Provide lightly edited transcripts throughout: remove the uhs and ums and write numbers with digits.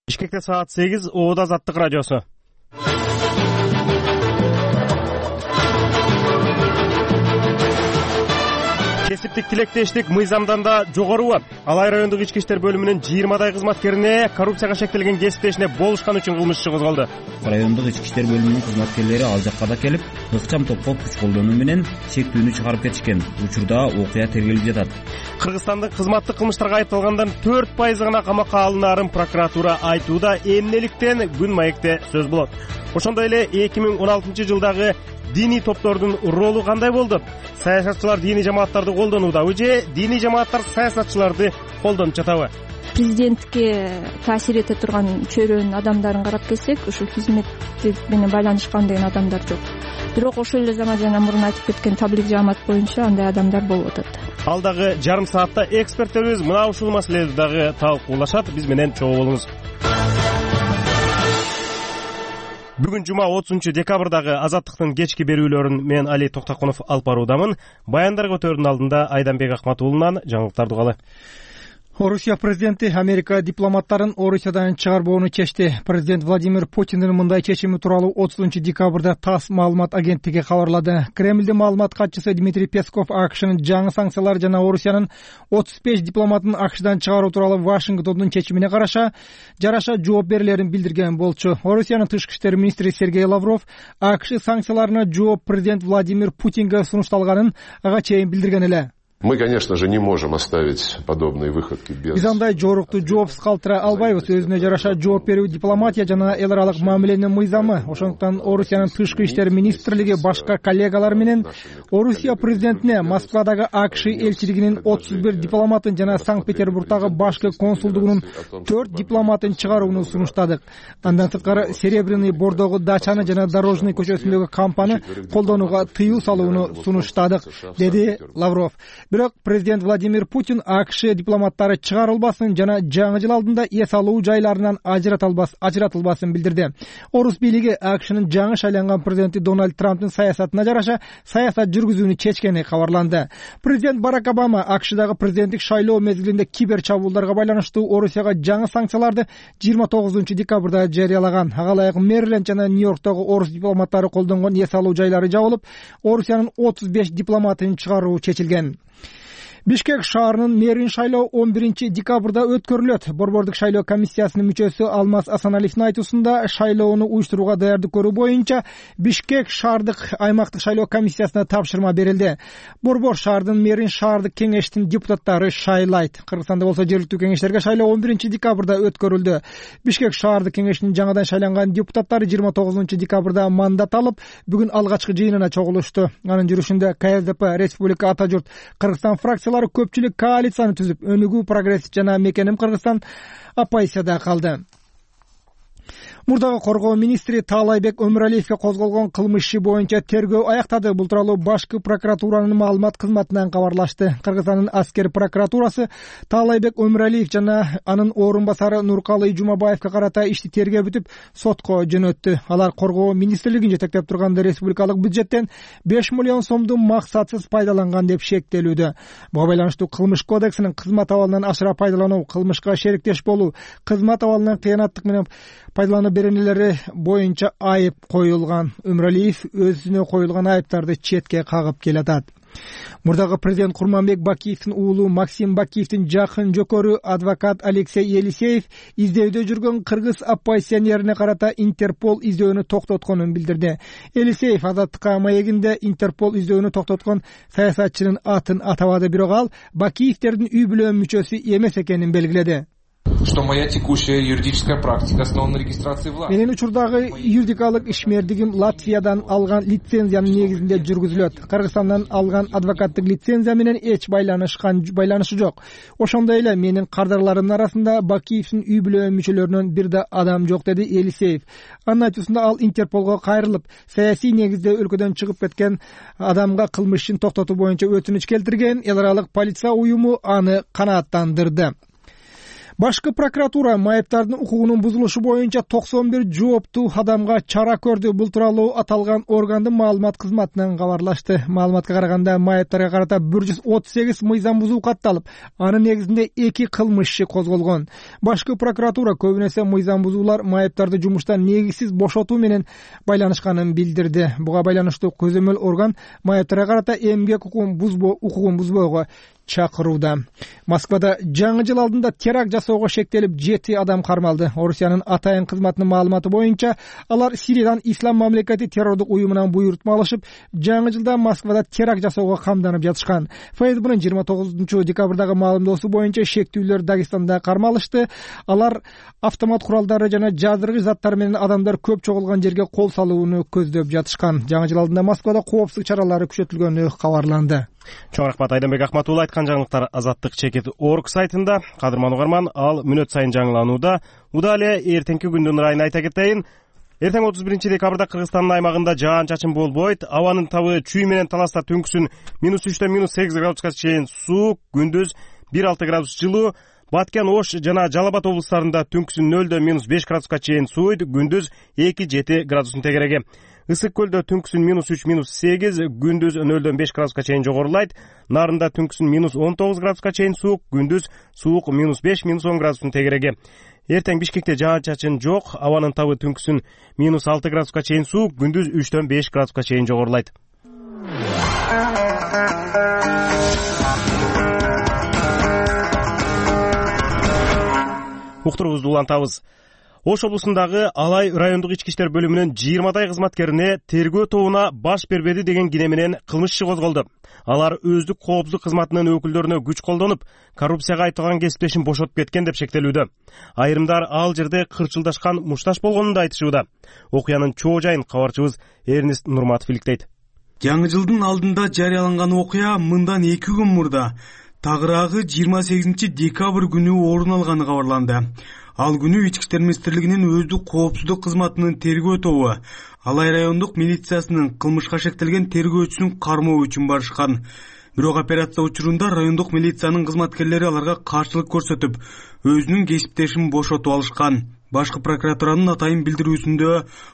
Бишкекте саат 8, Оода Азаттык радиосу. Кесиптик тилектештик мыйзамданда жогору. Алай райондук ички иштер бөлүмүнүн 20 кызматкерине коррупцияга шектелген кесиптешине болушкан үчүн кылмыш иши козголду. Райондук ички иштер бөлүмүнүн кызматкерлери ал жакка да келип, ыкчам топко күч колдонуу менен шектүүнү чыгарып кетишкен. Учурда окуя тергелип жатат. Кыргызстандын кызматтык кылмыштарга айыпталгандардын 4% гана камакка алынаарын прокуратура айтууда, эмнеликтен күн маекте сөз болот. Ошондой эле 2016 жылдагы диний топтордун ролу кандай болду? Саясатчылар диний жамааттарды колдонуудабы же диний жамааттар саясатчыларды колдонуп жатабы? Президентке таасир эте турган чөйрөнүн адамдарын карап келсек, ушул хизметтик менен байланышкан деген адамдар жок. Бирок ошол эле жана мурун айтып кеткен таблик жамаат боюнча андай адамдар болуп атат. Ал дагы жарым саатта эксперттерибиз мына ушул маселени дагы талкуулашат. Биз менен чогуу болуңуз. Бүгүн жума 30 декабрдагы Азаттыктын кечки берүүлөрүн мен Али Токтокунов алып баруудамын. Баяндар көтөрүүнүн алдында Айданбек Акматуулунан жаңылыктарды угалы. Орусия президенти Америка дипломаттарын Орусиядан чыгарбоону чечти. Президент Владимир Путиндин мындай чечими тууралуу 30 декабрда ТАСС маалымат агенттиги кабарлады. Кремлдин маалымат катчысы Дмитрий Песков АКШнын жаңы санкциялар жана Орусиянын 35 дипломатын АКШдан чыгаруу тууралуу Вашингтондун чечимине жараша жооп берилерин билдирген болчу. Орусиянын тышкы иштер министри Сергей Лавров АКШ санкцияларына жооп президент Владимир Путинге сунушталганын ага чейин билдирген эле. Мы, конечно же, не можем оставить подобные выходки без... Биз андай жорукту жоопсуз калтыра албайбыз. Өзүнө жараша жооп берүү дипломатия жана эл аралык мамиленин мыйзамы. Ошондуктан Орусиянын тышкы иштер министрлиги башка коллегалар менен Орусия президентине Москвадагы АКШ элчилигинин 31 дипломатын жана Санкт-Петербургдагы башкы консулдугунун 4 дипломатын чыгарууну сунуштадык. Андан сырткары Серебряный Бордогу дачаны жана Дорожный көчөсүндөгү кампаны колдонууга тыюу салууну сунуштадык, деди Лавров. Бирок президент Владимир Путин АКШ дипломаттары чыгарылбасын жана жаңы жыл алдында эс алуу жайларынан ажыратылбасын билдирди. Орус бийлиги АКШнын жаңы шайланган президенти Дональд Трамптын саясатына жараша саясат жүргүзүүнү чечкени кабарланды. Президент Барак Обама АКШдагы президенттик шайлоо мезгилинде кибер чабуулдарга байланыштуу Орусияга жаңы санкцияларды 29 декабрда жарыялаган. Ага ылайык Мэриленд жана Нью-Йорктогу орус дипломаттары колдонгон эс алуу жайлары жабылып, Орусиянын 35 дипломатын чыгаруу чечилген. Бишкек шаарынын мэрин шайлоо 11 декабрда өткөрүлөт. Борбордук шайлоо комиссиясынын мүчөсү Алмаз Асаналиевдин айтуусунда шайлоону уюштурууга даярдык көрүү боюнча Бишкек шаардык аймактык шайлоо комиссиясына тапшырма берилди. Борбор шаардын мэрин шаардык кеңештин депутаттары шайлайт. Кыргызстанда болсо жергиликтүү кеңештерге шайлоо 11 декабрда өткөрүлдү. Бишкек шаардык кеңешинин жаңадан шайланган депутаттары 29 декабрда мандат алып, бүгүн алгачкы жыйынына чогулушту. Анын жүрүшүндө КСДП, Республика Ата журт, Кыргызстан фракциялары көпчүлүк коалицияны түзүп, Өнүгүү, Прогресс жана Мекеним Кыргызстан оппозицияда калды. Мурдагы коргоо министри Таалайбек Өмүралиевге козголгон кылмыш иши боюнча тергөө аяктады. Бул тууралуу башкы прокуратуранын маалымат кызматынан кабарлашты. Кыргызстандын аскер прокуратурасы Таалайбек Өмүралиев жана анын орун басары Нуркалый Жумабаевге карата ишти тергеп бүтүп, сотко жөнөттү. Алар коргоо министрлигин жетектеп турганда республикалык бюджеттен 5 миллион сомду максатсыз пайдаланган деп шектелүүдө. Буга байланыштуу Кылмыш кодексинин кызмат абалынан ашыра пайдалануу, кылмышка шериктеш болуу, кызмат абалынан кыянаттык менен пайдалануу беренелери боюнча айып коюлган. Өмүралиев өзүнө коюлган айыптарды четке кагып келатат. Мурдагы президент Курманбек Бакиевдин уулу Максим Бакиевдин жакын жөкөрү адвокат Алексей Елисеев издөөдө жүргөн кыргыз оппозиционерине карата Интерпол издөөнү токтотконун билдирди. Елисеев Азаттыкка маегинде Интерпол издөөнү токтоткон саясатчынын атын атабады, бирок ал Бакиевдердин үй бүлө мүчөсү эмес экенин белгиледи. Что моя текущая юридическая практика основана на регистрации власти. Менин учурдагы юридикалык ишмердигим Латвиядан алган лицензиянын негизинде жүргүзүлөт. Кыргызстандан алган адвокаттык лицензия менен эч байланышы жок. Ошондой эле менин кардарларымдын арасында Бакиевдин үй бүлө мүчөлөрүнөн бир да адам жок, деди Елисеев. Анын айтуусунда ал Интерполго кайрылып, саясий негизде өлкөдөн чыгып кеткен адамга кылмышын токтотуу боюнча өтүнүч келтирген. Эл аралык полиция уюму аны канааттандырды. Башкы прокуратура майыптардын укугунун бузулушу боюнча 91 жооптуу адамга чара көрдү. Бул тууралуу аталган органдын маалымат кызматынан кабарлашты. Маалыматка караганда майыптарга карата 138 мыйзам бузуу катталып, анын негизинде 2 кылмыш иши козголгон. Башкы прокуратура көбүн эсе мыйзам бузуулар майыптарды жумуштан негизсиз бошотуу менен байланышканын билдирди. Буга байланыштуу көзөмөл орган майыптарга карата эмгек укугун бузбоого чакырууда. Москвада жаңы жыл алдында теракт жасоого шектелип 7 адам кармалды. Орусиянын атайын кызматынын маалыматы боюнча, алар Сириядан Ислам мамлекети террордук уюмунан буйрутма алышып, жаңы жылда Москвада теракт жасоого камданып жатышкан. ФСБнын 29 декабрдагы маалымдоосу боюнча шектүүлөр Дагестанда кармалышты. Алар автомат куралдары жана жаздыргыч заттар менен адамдар көп чогулган жерге кол салууну көздөп жатышкан. Жаңы жыл алдында Москвада коопсуздук чаралары күчөтүлгөнү кабарланды. Чоң рахмат Айданбек Акматулла. Айткан жаңылыктар Азаттык.org сайтында. Кадырман угарман, ал мүнөт сайын жаңыланууда. Удале эртеңки күндүн ырайын айта кетейин. Эртең 31 декабрда Кыргызстандын аймагында жаан-чачын болбойт. Абанын табы чүй менен таласта түнкүсүн -3 -8 градуска чейин суук, күндүз 1-6 градус жылуу. Баткен, Ош жана Жалал Абад облустарында түнкүсүн 0-5 градуска чейин сууйт, күндүз 2-7 градустун тегереги. Ысык көлдө түнкүсүн -3-8, күндүз 0-5 градуска чейин жогорулайт. Нарында түнкүсүн -19 градуска чейин суук, күндүз суук -5-10 градустун тегереги. Эртең Бишкекте жаан-чачын жок, абанын табы түнкүсүн -6 градуска чейин суук, күндүз 3-5 градуска чейин жогорулайт. Уктуруңузду улантабыз. Ош облусундагы Алай райондук ички иштер бөлүмүнүн 20 кызматкерине тергөө тобуна баш бербеди деген кине менен кылмыш иши козголду. Алар өздүк коопсуздук кызматынын өкүлдөрүнө күч колдонуп, коррупцияга айтылган кесиптешин бошотуп кеткен деп шектелүүдө. Айрымдар ал жерде кырчылдашкан мушташ болгонун да айтышууда. Окуянын чоо жайын кабарчыбыз Эрнест Нурматов иликтейт. Жаңы жылдын алдында жарыяланган окуя мындан 2 күн мурда тагыраагы 28 декабрь күнү орун алганы кабарланды. Ал күнү Ички иштер министрлигинин өздүк коопсуздук кызматынын тергөө тобу Алай райондук милициясынын кылмышка шектелген тергөөчүсүн кармоо үчүн барышкан. Бирок операция учурунда райондук милициянын кызматкерлери аларга каршылык көрсөтүп, өзүнүн кесиптешин бошотуп алышкан. Башкы прокуратуранын атайын билдирүүсүндө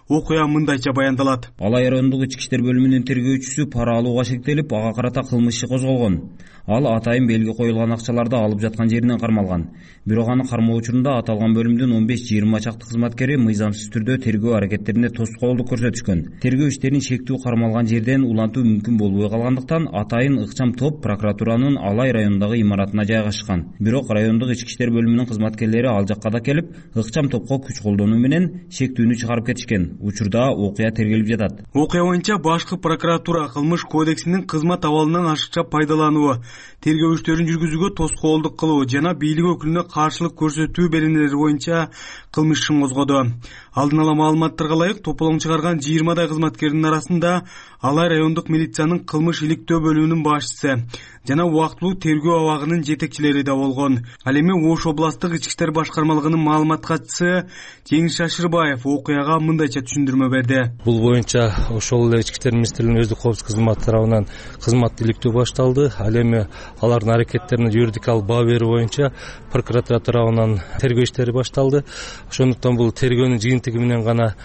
окуя мындайча баяндалат. Алай райондук ички иштер бөлүмүнүн тергөөчүсү пара алууга шектелип, ага карата кылмыш иши козголгон. Ал атайын белги коюлган акчаларды алып жаткан жеринен кармалган. Бирок аны кармоо учурунда аталган бөлүмдүн 15-20 чакты кызматкери мыйзамсыз түрдө тергөө аракеттерине тоскоолдук көрсөтүшкөн. Тергөө иштерин шектүү кармалган жерден улантуу мүмкүн болбой калгандыктан атайын ыкчам топ прокуратуранын Алай районундагы имаратына жайгашкан. Бирок райондук ички иштер бөлүмүнүн кызматкерлери ал жакка да келип, ыкчам топко күч колдонуу менен шектүүнү чыгарып кетишкен. Учурда окуя тергелип жатат. Окуя боюнча башкы прокуратура кылмыш кодексинин кызмат абалынан ашыкча пайдалануу, тергөө иштөрүн жүргүзүүгө тоскоолдук кылуу жана бийлик өкүлүнө каршылык көрсөтүү беренелери боюнча кылмыш ишин козгоду. Алдын ала маалыматтарга ылайык тополоң чыгарган 20 кызматкердин арасында Алай райондук милициянын кылмыш иликтөө бөлүмүнүн башчысы жана убактылуу тергөө абагынын жетекчилери да болгон. Ал эми Ош областтык ички иштер башкармалыгынын маалымат катчысы Жеңиш Шашырбаев окуяга мындайча түшүндүрмө берди. Бул боюнча ошол эле ички иштер министрлигинин өздүк коопсуздук кызматы тарабынан кызмат иликтөө башталды. Ал эми алардын аракеттерине юридикалык баа берүү боюнча прокуратура тарабынан тергөө иштери башталды. Ошондуктан бул тергөөнүн жыйынтыгы менен гана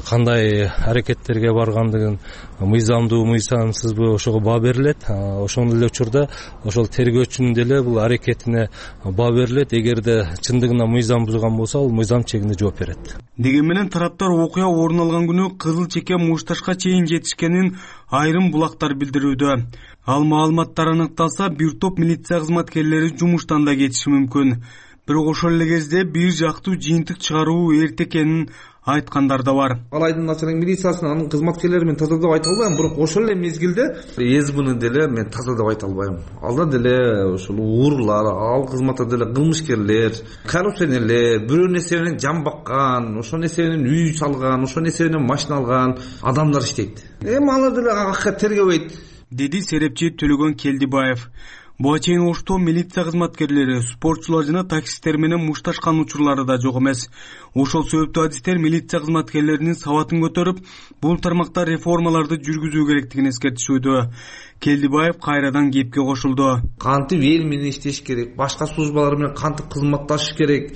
кандай аракеттерге баргандыгын мыйзамдуу, мыйзамсызбы ошого баа берилет. Ошондой эле учурда ошол тергөөчүнүн деле бул аракетине баа берилет. Эгерде чындыгында мыйзам бузган болсо, ал мыйзам чегинде жооп берет. Деген менен тараптар окуя орун алган күнү кызыл чеке мушташка чейин жетишкенин айрым булактар билдирүүдө. Ал маалыматтар аныкталса, бир топ милиция кызматкерлери жумуштан да кетиши мүмкүн. Бирок ошол эле кезде бир жактуу жыйынтык чыгаруу эрте экенин айткандар да бар. Алайдын начальник милициясын анын кызматкерлери мен таза деп айта албайм, бирок ошол эле мезгилде СБны деле мен таза деп айта албайм. Алда деле ошол уурлар, ал кызматта деле кылмышкерлер, коррупционерлер, бирөө нерсе менен жан баккан, ошол нерсе менен үй салган, ошол нерсе менен машина алган адамдар иштейт. Эми алар деле акка тергебейт, деди серепчи Төлөгөн Келдибаев. Буга чейин Ошто милиция кызматкерлери, спортчулар жана таксисттер менен мушташкан учурлары да жок эмес. Ошол себептүү адистер милиция кызматкерлеринин сабатын көтөрүп, бул тармакта реформаларды жүргүзүү керектигин эскертишүүдө. Келдибаев кайрадан кепке кошулду. Кантип эл менен иштеш керек, башка службалар менен кантип кызматташыш керек,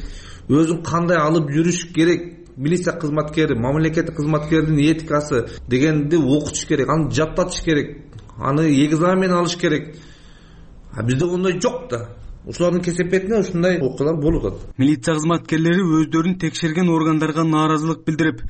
өзүн кандай алып жүрүш керек, милиция кызматкери, мамлекеттик кызматкердин этикасы дегенди окутуш керек, аны жаттатыш керек, аны экзамен алыш керек. Бизде ондай жок да. Ушулардын кесепетине ушундай окуялар болуп атат. Милиция кызматкерлери өздөрүн текшерген органдарга нааразылык билдирип,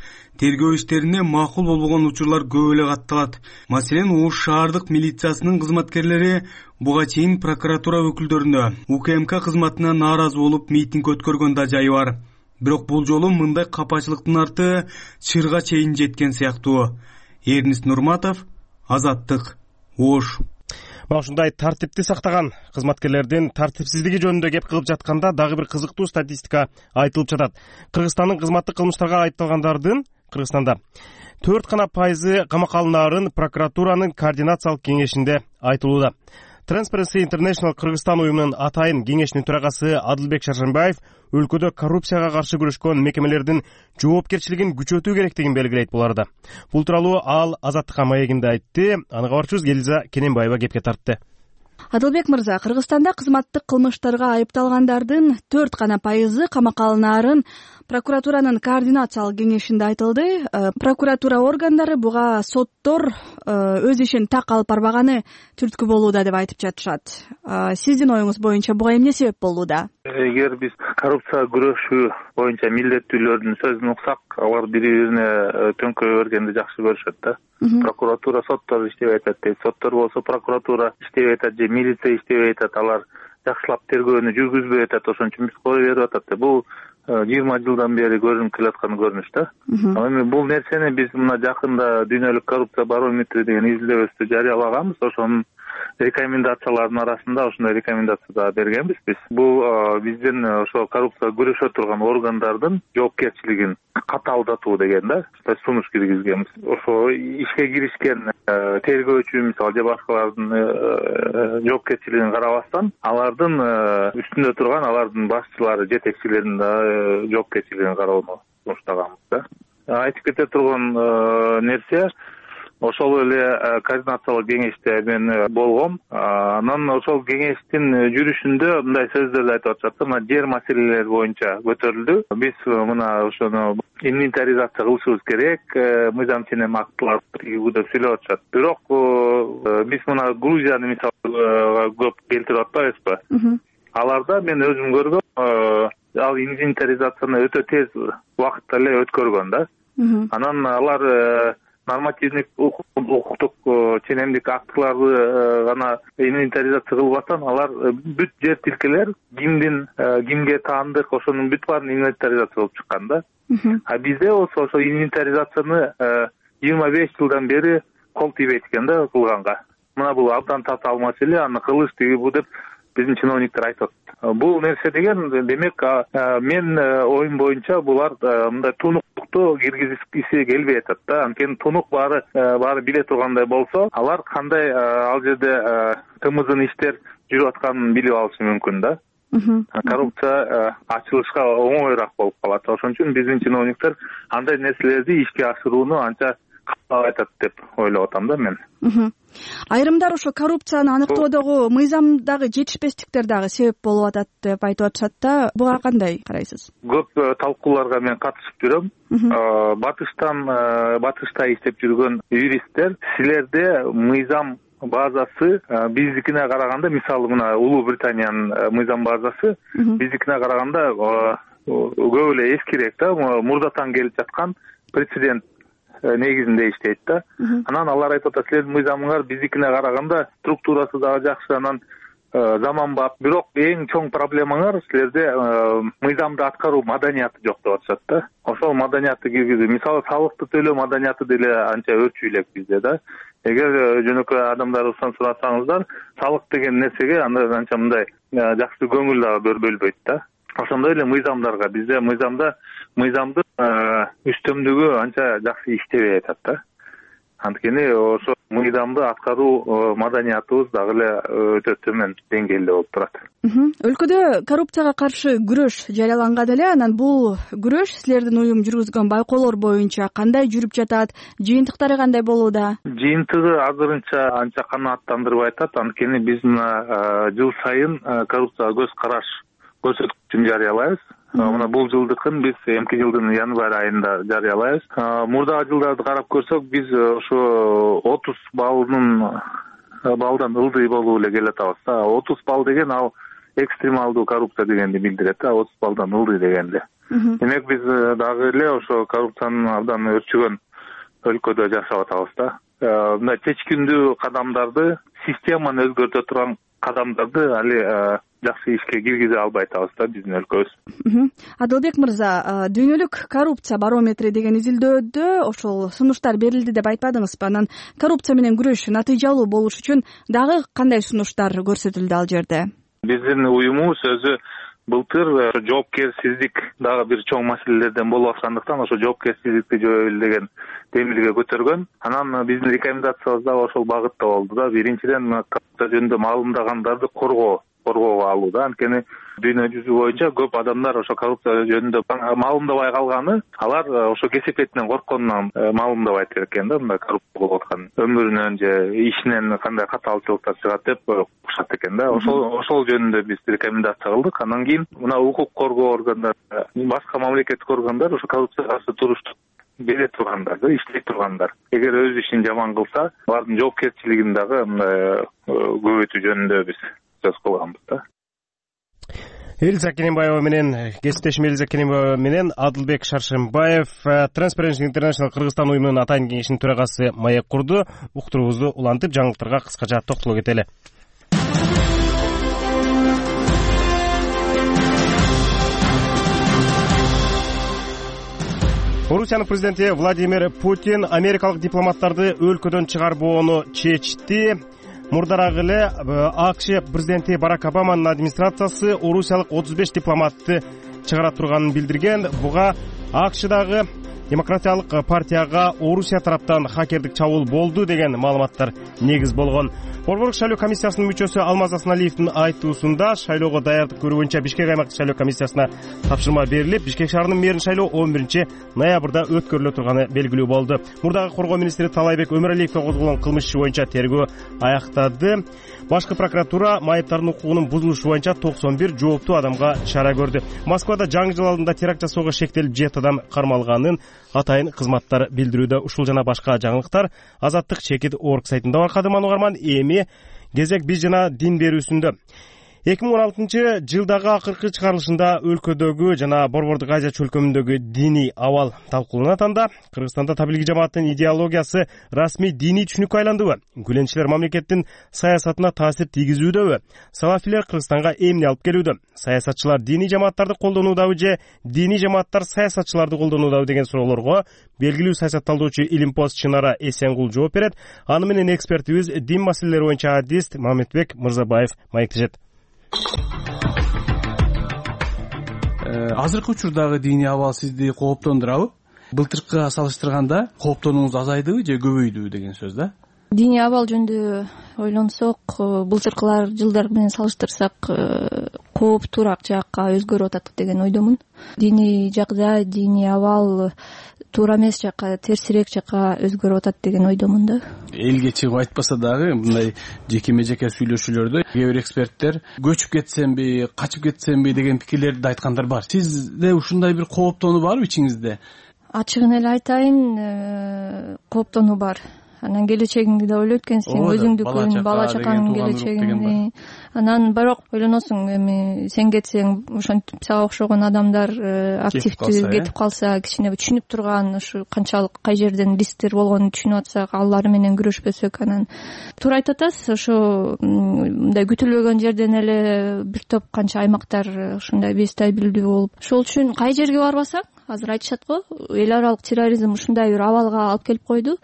тергөө иштерине макул болбогон учурлар көп эле катталат. Маселен, Ош шаардык милициясынын кызматкерлери буга чейин прокуратура өкүлдөрүнө, УКМК кызматына нааразы болуп митинг өткөргөн да жайы бар. Бирок бул жолу мындай капачылыктын арты чырга чейин жеткен сыяктуу. Эрнис Нурматов, Азаттык, Ош. Ушундай тартипти сактаган кызматкерлердин тартипсиздиги жөнүндө кеп кылып жатканда дагы бир кызыктуу статистика айтылып жатат. Кыргызстандын кызматтык кылмыштарга айыпталгандардын Кыргызстанда 4% камакка алынаарын прокуратуранын координациялык кеңешинде айтылууда. Transparency International Кыргызстан уюмунун атайын кеңешинин төрагасы Адылбек Шаршенбаев өлкөдө коррупцияга каршы күрөшкөн мекемелердин жоопкерчилигин күчөтүү керектигин белгилейт бул арада. Бул тууралуу ал Азаттыкка маегинде айтты. Аны кабарчыбыз Элиза Кененбаева кепке тартты. Адылбек мырза, Кыргызстанда кызматтык кылмыштарга айыпталгандардын 4% камакка алынаарын прокуратуранын координациялык кеңешинде айтылды. Прокуратура органдары буга соттор өз ишин так алып барбаганы түрткү болууда деп айтып жатышат. Сиздин оюңуз боюнча буга эмне себеп болууда? Эгер биз коррупцияга күрөшүү боюнча милдеттүүлөрдүн сөзүн уксак, алар бири-бирине төңкөрө бергенди жакшы көрүшөт да. Прокуратура соттор иштебей атат дейт, соттор болсо прокуратура иштебей атат же милиция иштебей атат, алар жакшылап тергөөнү жүргүзбөй атат, ошон үчүн биз кое берип атат. Бул 20 жылдан бери көрүнүп келаткан көрүнүш да. Эми бул нерсени биз мына жакында дүйнөлүк коррупция барометри деген изилдөөбүздү жарыялаганбыз. Ошонун рекомендациялардын арасында ошондой рекомендация да бергенбиз биз. Бул биздин ошо коррупцияга күрөшө турган органдардын жоопкерчилигин катаалдатуу деген да, сунуш киргизгенбиз. Ошо ишке киришкен тергөөчү мисалы же башкалардын жоопкерчилигин карабастан, алардын үстүндө турган алардын башчылары, жетекчилеринин да жоопкерчилигин кароону сунуштаганбыз да. Айтып кете турган нерсе ошол эле координациялык кеңеште мен болгом. Анан ошол кеңештин жүрүшүндө мындай сөздөрдү айтып атышат. Мына жер маселелери боюнча көтөрүлдү. Биз мына ошону инвентаризация кылышыбыз керек, мыйзам ченем актыларды тигүүгө сүйлөп атышат. Бирок биз мына Грузияны мисалга көп келтирип атпайбызбы? Аларда мен өзүм көргөм, ал инвентаризацияны өтө тез убакытта эле өткөргөн да. Анан алар нормативдик укуктук ченемдик актыларды гана инвентаризация кылбастан, алар бүт жер тилкелер кимге таандык, ошонун бүт баарын инвентаризация кылып чыккан да. А бизде ошо инвентаризацияны 25 жылдан бери кол тийбейт экен да кылганга. Мына бул абдан татаал маселе, аны кылыш бу деп биздин чиновниктер айтат. Бул нерсе деген демек мен оюм боюнча булар мындай тунуктукту киргизгиси келбей атат да. Анткени тунук баары биле тургандай болсо, алар кандай ал жерде тымызын иштер жүрүп атканын билип алышы мүмкүн да. Коррупция ачылышка оңоюраак болуп калат. Ошон үчүн биздин чиновниктер андай нерселерди ишке ашырууну анча айтат деп ойлоп атам да мен. Айрымдар ошо коррупцияны аныктоодогу мыйзамдагы жетишпестиктер дагы себеп болуп атат деп айтып атышат да. Буга кандай карайсыз? Көп талкууларга мен катышып жүрөм. Батышта иштеп жүргөн юристтер, силерде мыйзам базасы биздикине караганда, мисалы мына Улуу Британиянын мыйзам базасы биздикине караганда көп эле эскирээк да, мурдатан келип жаткан прецедент негизинде иштейт да. Анан алар айтып атат, силердин мыйзамыңар биздикине караганда структурасы дагы жакшы, анан заманбап. Бирок эң чоң проблемаңар силерде мыйзамды аткаруу маданияты жок деп атышат да. Ошол маданиятты киргизүү, мисалы салыкты төлөө маданияты деле анча өрчүү элек бизде да. Эгер жөнөкөй адамдарыбыздан сурасаңыздар, салык деген нерсеге анча мындай жакшы көңүл дагы бөлбөйт да. Ошондой эле мыйзамдарга бизде мыйзамдын үстөмдүгү анча жакшы иштебей атат да. Анткени ошо мыйзамды аткаруу маданиятыбыз дагы эле өтө төмөн деңгээлде болуп турат. Өлкөдө коррупцияга каршы күрөш жарыяланган эле, анан бул күрөш силердин уюм жүргүзгөн байкоолор боюнча кандай жүрүп жатат, жыйынтыктары кандай болууда? Жыйынтыгы азырынча анча канааттандырбай атат, анткени биз мына жыл сайын коррупцияга көз караш көрсөткүчүн жарыялайбыз. Мына бул жылдыкын биз эмки жылдын январь айында жарыялайбыз. Мурдагы жылдарды карап көрсөк, биз ошо 30 баллдан ылдый болуп эле келатабыз. 30 балл деген ал экстремалдуу коррупция дегенди билдирет, 30 баллдан ылдый дегенди. Демек биз дагы эле ошо коррупциянын абдан өрчүгөн өлкөдө жашап атабыз да. Мына чечкиндүү кадамдарды, системаны өзгөртө турган кадамдарды али жакшы ишке киргизе албай атабыз да биздин өлкөбүз. Адылбек мырза, дүйнөлүк коррупция барометри деген изилдөөдө ошол сунуштар берилди деп айтпадыңызбы? Анан коррупция менен күрөш натыйжалуу болуш үчүн дагы кандай сунуштар көрсөтүлдү ал жерде? Биздин уюмубуз өзү былтыр жоопкерсиздик дагы бир чоң маселелерден болуп аткандыктан ошо жоопкерсиздикти жоюу деген темирге көтөргөн. Анан биздин рекомендациябыз дагы ошол багытта болду да. Биринчиден коррупция жөнүндө маалымдагандарды коргоого алуу да. Анткени дүйнө жүзү боюнча көп адамдар ошо коррупция жөнүндө маалымдабай калганы, алар ошо кесепетинен коркконунан маалымдабайт экен да. Мындай коррупция болуп аткан өмүрүнөн же ишинен кандай катаалчылыктар чыгат деп укушат экен да. Ошол жөнүндө биз рекомендация кылдык. Анан кийин мына укук коргоо органдары, башка мамлекеттик органдар ошо коррупцияга каршы туруштук бере тургандар, иштей тургандар. Эгер өз ишин жаман кылса, алардын жоопкерчилигин дагы көбөйтүү жөнүндө биз сөз кылганбыз да. Элиза Кененбаева менен кесиптешим Адылбек Шаршембаев Transparency International Кыргызстан уюмунун атайын кеңешинин төрагасы маек курду. Уктуруубузду улантып, жаңылыктарга кыскача токтоло кетели. Орусиянын президенти Владимир Путин америкалык дипломаттарды өлкөдөн чыгарбоону чечти. Мурдараак эле АКШ президенти Барак Обаманын администрациясы орусиялык 35 дипломатты чыгара турганын билдирген. Буга АКШдагы Демократиялык партияга Орусия тараптан хакердик чабуул болду деген маалыматтар негиз болгон. Борборлук шайлоо комиссиясынын мүчөсү Алмаз Асаналиевдин айтуусунда шайлоого даярдык көрүү боюнча Бишкек аймактык шайлоо комиссиясына тапшырма берилип, Бишкек шаарынын мэрин шайлоо 11 ноябрда өткөрүлө турганы белгилүү болду. Мурдагы коргоо министри Талайбек Өмүралиевге козголгон кылмыш иши боюнча тергөө аяктады. Башкы прокуратура майыптардын укугунун бузулушу боюнча 91 жооптуу адамга чара көрдү. Москвада жаңы жыл алдында теракт жасоого шектелип 7 адам кармалганын атайын кызматтар билдирүүдө. Ушул жана башка жаңылыктар Азаттык чекит орг сайтында байкадым. Угарман, эми кезек биз жана дин берүүсүндө. 2016 жылдагы акыркы чыгарылышында өлкөдөгү жана Борбордук Азия чөлкөмүндөгү диний абал талкууланат. Анда Кыргызстанда таблиги жамааттын идеологиясы расмий диний түшүнүккө айландыбы? Гүленчилер мамлекеттин саясатына таасир тийгизүүдөбү? Салафилер Кыргызстанга эмне алып келүүдө? Саясатчылар диний жамааттарды колдонуудабы же диний жамааттар саясатчыларды колдонуудабы деген суроолорго белгилүү саясатталдоочу Илимпоз Чынара Эсенгул жооп берет. Аны менен экспертибиз дин маселелери боюнча адист Мамедбек Мырзабаев маектешет. Азыркы учурдагы диний абал сизди кооптондурабы? Былтыркыга салыштырганда кооптонууңуз азайдыбы же көбөйдүбү деген сөз да? Диний абал жөнүндө ойлонсок, былтыркылар жылдар менен салыштырсак кооптуураак жакка өзгөрүп атат деген ойдомун. Диний жагдай, диний абал туура эмес жакка, терсирээк жакка өзгөрүп атат деген ойдомун да. Элге чыгып айтпаса дагы мындай жекеме жеке сүйлөшүүлөрдө кээ бир эксперттер көчүп кетсемби, качып кетсемби деген пикирлерди айткандар бар. Сизде ушундай бир кооптонуу барбы ичиңизде? Ачыгын эле айтайын, кооптонуу бар. Анан келечегиңди да ойлойт экенсиң, өзүңдүкүн, бала чакаңдын келечегин. Анан бирок ойлоносуң, эми сен кетсең, ошентип сага окшогон адамдар активдүү кетип калса, кичине түшүнүп турган, ушу канчалык кай жерден рисктер болгонун түшүнүп атсак, алар менен күрөшпөсөк, анан туура айтып атасыз, ошо мындай күтүлбөгөн жерден эле бир топ канча аймактар ушундай бестабилдүү болуп, ошол үчүн кай жерге барбасаң, азыр айтышат го, эл аралык терроризм ушундай бир абалга алып келип койду.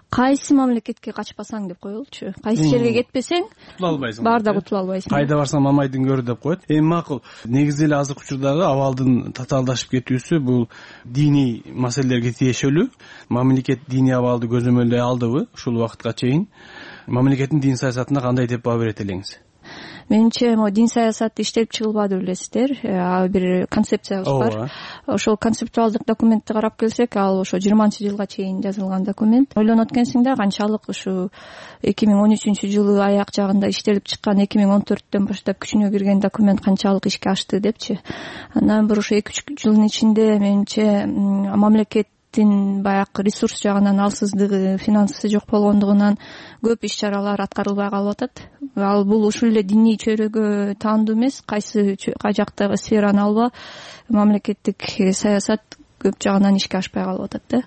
кайсы мамлекетке качпасаң деп коелучу, кайсы жерге кетпесең кутула албайсың, баарда кутула албайсың, кайда барсаң мамайдын көрү деп коет. Эми макул, негизи эле азыркы учурдагы абалдын татаалдашып кетүүсү бул диний маселелерге тиешелүү. Мамлекет диний абалды көзөмөлдөй алдыбы ушул убакытка чейин? Мамлекеттин дин саясатына кандай деп баа берет элеңиз? Менимче могу дин саясаты иштелип чыгылбады билесиздер, бир концепциябыз бар. Ошол концептуалдык документти карап келсек, ал ошо 20-жылга чейин жазылган документ. Ойлонот экенсиң да, канчалык ушу 2013-жылы аяк жагында иштелип чыккан, 2014-төн баштап күчүнө кирген документ канчалык ишке ашты депчи. Андан бир ошо 2-3 жылдын ичинде менимче мамлекеттин баягы ресурс жагынан алсыздыгы, финансы жок болгондугунан көп иш-чаралар аткарылбай калып атат. Ал бул ушул эле диний чөйрөгө таандуу эмес, кайсы жактагы сфераны алба, мамлекеттик саясат көп жагынан ишке ашпай калып атат да.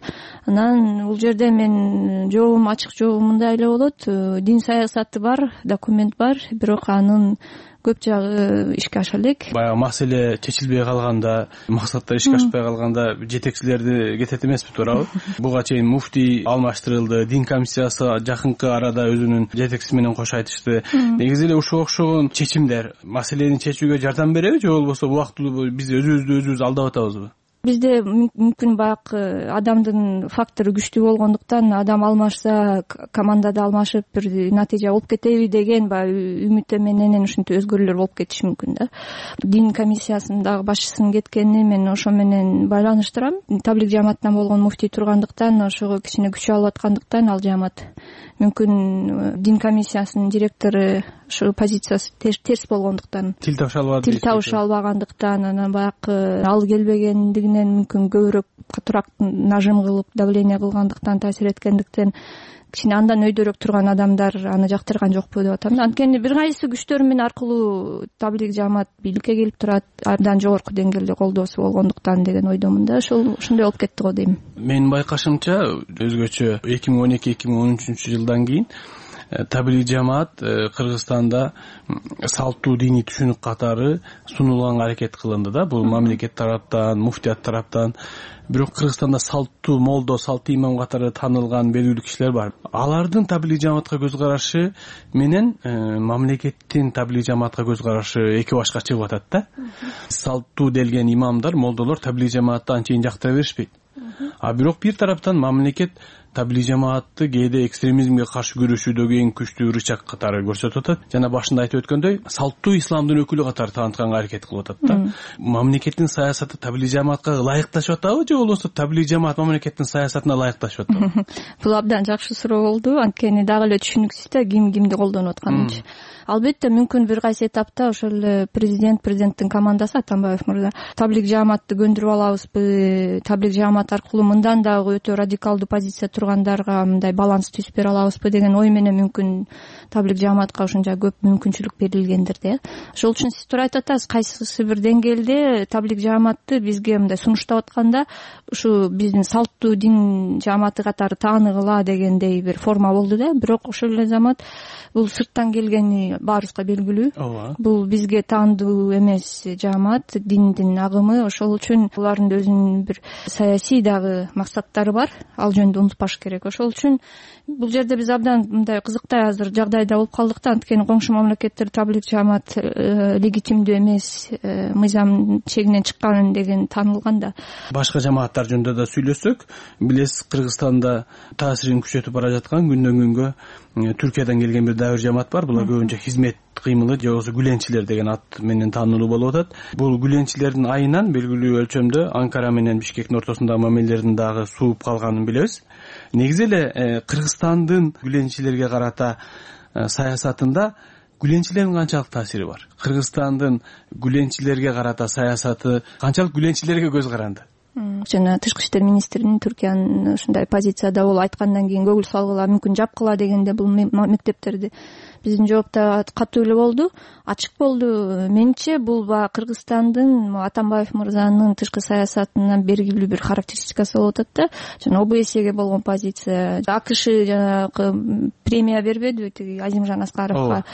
Анан бул жерде мен жообум ачык, жообум мындай эле болот. Дин саясаты бар, документ бар, бирок анын көп жагы ишке аша элек. Баягы маселе чечилбей калганда, максаттар ишке ашпай калганда жетекчилерди кетет эмеспи, туурабы? Буга чейин муфтий алмаштырылды, дин комиссиясы жакынкы арада өзүнүн жетекчиси менен кош айтышты. Негизи эле ушуга окшогон чечимдер маселени чечүүгө жардам береби, же болбосо убактылуу биз өзүбүздү алдап атабызбы? Бизде мүмкүн баягы адамдын фактору күчтүү болгондуктан адам алмашса, командада алмашып бир натыйжа болуп кетеби деген баягы үмүтө менен ушинтип өзгөрүүлөр болуп кетиши мүмкүн да. Дин комиссиясындагы башчысынын кеткенин мен ошо менен байланыштырам. Таблик жамаатынан болгон муфтий тургандыктан, ошого кичине күч алып аткандыктан ал жамаат мүмкүн дин комиссиясынын директору ошо позициясы терс болгондуктан, тил табыша албагандыктан, анан баягы ал келбегендигинен мүмкүн көбүрөөк катуураак нажим кылып, давление кылгандыктан, таасир эткендиктен кичине андан өйдөрөөк турган адамдар аны жактырган жокпу деп атам. Анткени бир кайсы күчтөр менен аркылуу таблик жамаат бийликке келип турат, абдан жогорку деңгээлде колдоосу болгондуктан деген ойдомун да. Ошондой болуп кетти го дейм. Менин байкашымча өзгөчө 2012-2013 жылдан кийин таблик жамаат Кыргызстанда салттуу диний түшүнүк катары сунулганга аракет кылынды да. Бул мамлекет тараптан, муфтият тараптан. Бирок Кыргызстанда салттуу молдо, салттуу имам катары таанылган белгилүү кишилер бар. Алардын таблик жамаатка көз карашы менен мамлекеттин таблик жамаатка көз карашы эки башка чыгып атат да. Салттуу делген имамдар, молдолор таблик жамаатты анчейин жактыра беришпейт. Бирок бир тараптан мамлекет таблик жамаатты кээде экстремизмге каршы күрөшүүдөгү эң күчтүү рычаг катары көрсөтүп атат. Жана башында айтып өткөндөй, салттуу исламдын өкүлү катары таанытканга аракет кылып атат да. Мамлекеттин саясаты таблик жамаатка ылайыкташып атабы, же болбосо таблик жамаат мамлекеттин саясатына ылайыкташып атабы? Бул абдан жакшы суроо болду. Анткени дагы эле түшүнүксүз да кимди колдонуп атканынчы. Албетте мүмкүн бир кайсы этапта ошол эле президенттин командасы Атамбаев мырза таблик жамаатты көндүрүп алабызбы, таблик жамаат аркылуу мындан дагы өтө радикалдуу позиция тургандарга мындай баланс түзүп бере алабызбы деген ой менен мүмкүн таблик жамаатка ушунча көп мүмкүнчүлүк берилгендир да. Ошол үчүн сиз туура айтып атасыз, кайсысы бир деңгээлде таблик жамаатты бизге мындай сунуштап атканда ушу биздин салттуу дин жамааты катары тааныгыла дегендей бир форма болду да. Бирок ошол эле замат бул сырттан келгени баарыбызга белгилүү. Бул бизге таандуу эмес жамаат, диндин агымы. Ошол үчүн булардын өзүнүн бир саясий дагы максаттары бар. Ал жөнүндө унутпаш керек. Ошол үчүн бул жерде биз абдан мындай кызыктай азыр жагдайда болуп калдык да. Анткени коңшу мамлекеттер таблик жамаат легитимдүү эмес, мыйзам чегинен чыккан деген таанылган да. Башка жамааттар жөнүндө да сүйлөссөк, билесиз, Кыргызстанда таасирин күчөтүп бара жаткан күндөн күнгө Түркиядан келген бир дайыр жамаат бар. Булар көбүнчө хизмет кыймылы же болбосо гүленчилер деген ат менен таанылуу болуп атат. Бул гүленчилердин айынан белгилүү өлчөмдө Анкара менен Бишкектин ортосундагы мамилелердин дагы сууп калганын билебиз. Негизи эле Кыргызстандын гүленчилерге карата саясатында гүленчилердин канчалык таасири бар? Кыргызстандын гүленчилерге карата саясаты канчалык гүленчилерге көз каранды? Жана тышкы иштер министринин Түркиянын ушундай позицияда болуп айткандан кийин көңүл салгыла, мүмкүн жапкыла дегенде бул мектептерди Биздин жооп да катуу эле болду, ачык болду. Менимче бул баягы Кыргызстандын Атамбаев мырзанын тышкы саясатынан бергилүү бир характеристикасы болуп атат да. Жана ОБСЕге болгон позиция. АКШ жанагы премия бербедиби тиги Азимжан Аскаровго,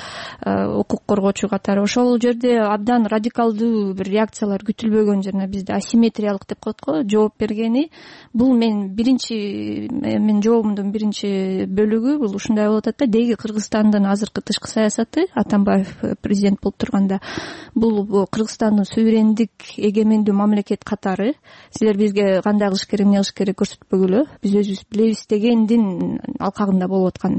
укук коргоочу катары. Ошол жерде абдан радикалдуу бир реакциялар күтүлбөгөн, жана бизде асимметриялык деп коет го жооп бергени. Бул менин жообумдун биринчи бөлүгү бул ушундай болуп атат да. Деги Кыргызстандын азыркы тышкы саясаты, Атамбаев президент болуп турганда, бул Кыргызстандын суверендик эгемендүү мамлекет катары силер бизге кандай кылыш керек, эмне кылыш керек көрсөтпөгүлө, биз өзүбүз билебиз дегендин алкагында болуп аткан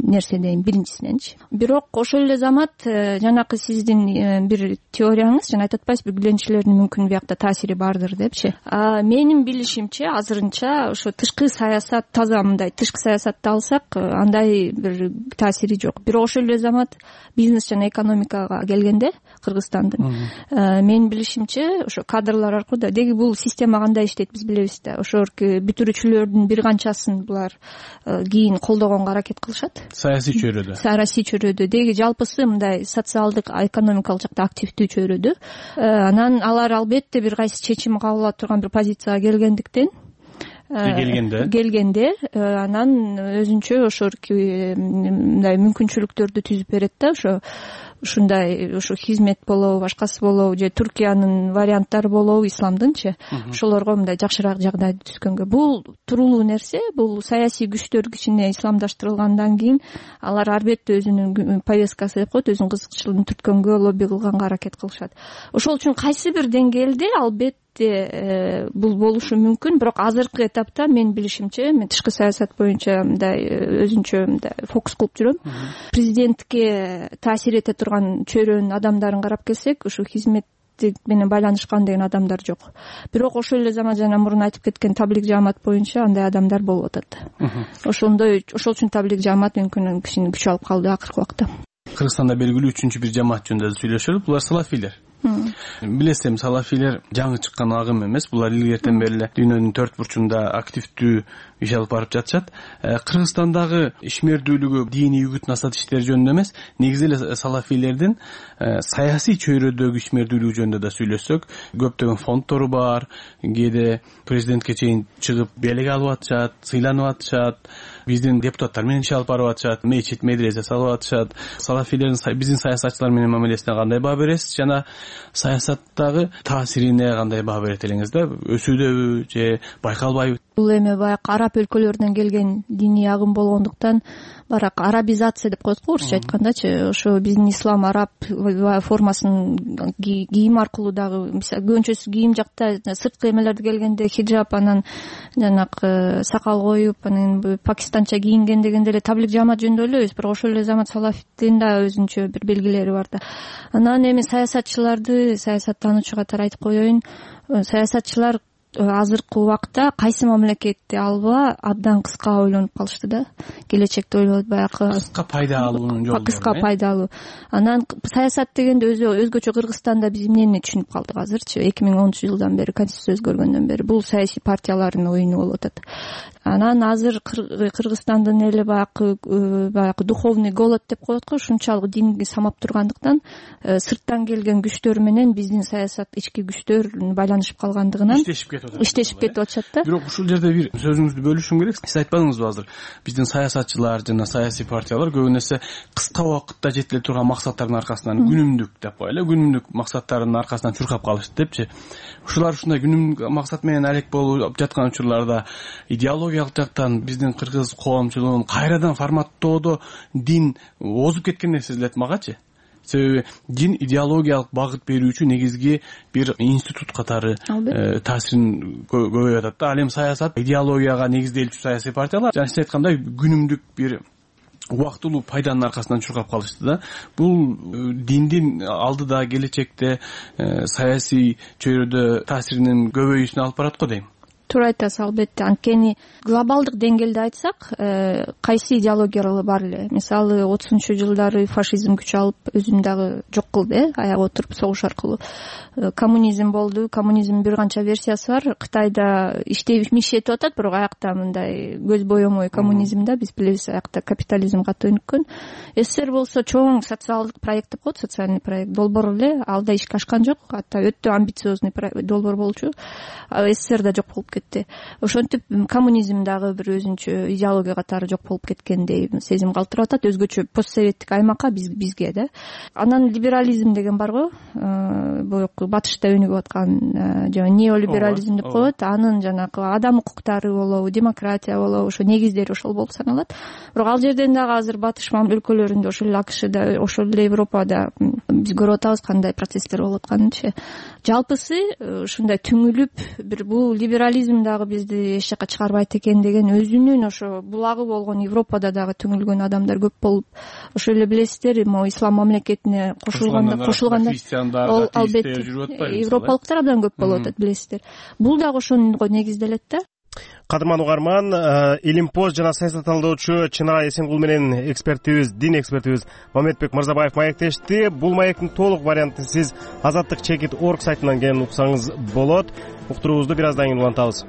нерсе дейм биринчисиненчи. Бирок ошол эле замат жанакы сиздин бир теорияңыз, жана айтып атпайсызбы, билгенчилердин мүмкүн биякта таасири бардыр депчи. Менин билишимче азырынча ошо тышкы саясат таза мындай тышкы саясатты алсак андай бир таасири жок. Бирок ошол эле замат бизнес жана экономикага келгенде Кыргызстандын менин билишимче ошо кадрлар аркылуу да, деги бул система кандай иштейт биз билебиз да. Ошо бүтүрүүчүлөрдүн бир канчасын булар кийин колдогонго аракет кылышат. Саясий чөйрөдө. Деги жалпысы мындай социалдык, экономикалык жакта активдүү чөйрөдө. Анан алар албетте бир кайсы чечим кабыл ала турган бир позицияга келгенде анан өзүнчө ошо мындай мүмкүнчүлүктөрдү түзүп берет да. Ушундай хизмет болобу, башкасы болобу, же Туркиянын варианттары болобу, исламдынчы, ошолорго мындай жакшыраак жагдайды түзгөнгө. Бул туруулуу нерсе. Бул саясий күчтөр кичине исламдаштырылгандан кийин алар албетте өзүнүн повесткасы деп коет, өзүнүн кызыкчылыгын түрткөнгө, лобби кылганга аракет кылышат. Ошол үчүн кайсы бир деңгээлде албетте бул болушу мүмкүн. Бирок азыркы этапта менин билишимче, мен тышкы саясат боюнча мындай өзүнчө мындай фокус кылып жүрөм. Президентке таасир эте турган чөйрөнүн адамдарын карап келсек, ушу хизметтик менен байланышкан деген адамдар жок. Бирок ошол эле замат жана мурун айтып кеткен таблик жаамат боюнча андай адамдар болуп атат. Ошол үчүн таблик жаамат мүмкүн кичине күч алып калды акыркы убакта. Кыргызстанда белгилүү 3-бір жамаат жөнүндө сүйлөшөлүп, булар салафилер. Билесем, салафилер жаңы чыккан агым эмес, булар илгертен бери эле дүйнөнүн төрт бурчунда активдүү иш алып барып жатышат. Кыргызстандагы ишмердүүлүгү диний үгүт насаат иштери жөнүндө эмес, негизи эле салафилердин саясий чөйрөдөгү ишмердүүлүгү жөнүндө да сүйлөшсөк, көптөгөн фонддору бар, кээде президентке чейин чыгып белек алып атышат, сыйланып атышат, биздин депутаттар менен иш алып барып атышат, мечит, медресе салып атышат. Салафилердин биздин саясатчылар менен мамилесине кандай баа бересиз жана саясаттагы таасирине кандай баа берет элеңиз да? Өсүүдөбү же байкалбайбы? Бул эми баягы араб өлкөлөрүнөн келген диний агым болгондуктан барак арабизация деп коет го орусча айткандачы. Ошо биздин ислам араб формасын кийим аркылуу дагы көбүнчөсү кийим жакта сырткы эмелерди келгенде хиджаб, анан жанагы сакал коюп, анан пакистанча кийинген дегенде эле таблик жаамат жөнүндө ойлойбуз. Бирок ошол эле замат салафиттин да өзүнчө бир белгилери бар да. Анан эми саясатчыларды, саясаттануучу катары айтып коеюн, саясатчылар азыркы убакта кайсы мамлекетти алба абдан кыска ойлонуп калышты да. Келечекти ойлойт, баягы кыска пайда алуунун жолу. Кыска пайда алуу. Анан саясат дегенде өзгөчө Кыргызстанда биз эмнени түшүнүп калдык азырчы? 2010-жылдан бери, конституция өзгөргөндөн бери бул саясий партиялардын оюну болуп атат. Анан азыр Кыргызстандын эли баягы духовный голод деп коет го, ушунчалык динги самап тургандыктан сырттан келген күчтөр менен биздин саясат ички күчтөр байланышып калгандыгынан иштешип кетип атышат да. Бирок ушул жерде бир сөзүңүздү бөлүшүм керек. Сиз айтпадыңызбы азыр? Биздин саясатчылар жана саясий партиялар көбүн эсе кыска убакытта жетиле турган максаттардын аркасынан күнүмдүк деп коелу, күнүмдүк максаттардын аркасынан чуркап калышты депчи. Ушулар ушундай күнүмдүк максат менен алек болуп жаткан учурларда идеологиялык жактан биздин кыргыз коомчулугун кайрадан форматтоодо дин озуп кеткендей сезилет магачы. Себеби дин идеологиялык багыт берүүчү негизги бир институт катары таасирин көбөйүп атат да. Ал эми саясат идеологияга негизделчү саясий партиялар жана сиз айткандай күнүмдүк бир убактылуу пайданын аркасынан чуркап калышты да. Бул диндин алдыда келечекте саясий чөйрөдө таасиринин көбөйүүсүнө алып барат го дейм. туура айтасыз, албетте. Анткени глобалдык деңгээлде айтсак, кайсы идеологиялар бар эле. Мисалы 30-жылдары фашизм күч алып өзүн дагы жок кылды, аягы отуруп согуш аркылуу. Коммунизм болду. Коммунизмдин бир канча версиясы бар. Кытайда иштеп атат, бирок аякта мындай көз боемой коммунизм да, биз билебиз, аякта капитализм катуу өнүккөн. СССР болсо чоң социалдык проект деп коет, социальный проект долбоор эле, ал да ишке ашкан жок. Атта өтө амбициозный долбоор болчу. СССР да жок болуп кетти. Ошентип коммунизм дагы бир өзүнчө идеология катары жок болуп кеткендей сезим калтырып атат, өзгөчө постсоветтик аймакка, бизге да. Анан либерализм деген барго, боюнку батышта өнүгүп аткан жана неолиберализм деп коет. Анын жанагы адам укуктары болобу, демократия болобу, ошо негиздери ошол болуп саналат. Бирок ал жерден дагы азыр батыш өлкөлөрүндө, ошол эле АКШда, ошол эле Европада биз көрүп атабыз кандай процесстер болуп атканынчы. Жалпысы ушундай түңүлүп, бир бул либерализм дагы бизди эч жака чыгарбайт экен деген өзүнүн ошо булагы болгон Европада дагы түңүлгөн адамдар көп болуп, ошол эле билесиздер, ислам мамлекетине кошулганда ол албетте европалыктар абдан көп болуп атат, билесиздер. Бул дагы ошонго негизделет да. Кадырман угарман, Илимпост жана саясат талдоочу Чынара Эсенгул менен дин экспертибиз Мамедбек Мырзабаев маектешти. Бул маектин толук вариантын сиз azatdikchekit.org сайтынан келип уксаңыз болот. Уктуруубузду бир аздан кийин улантабыз.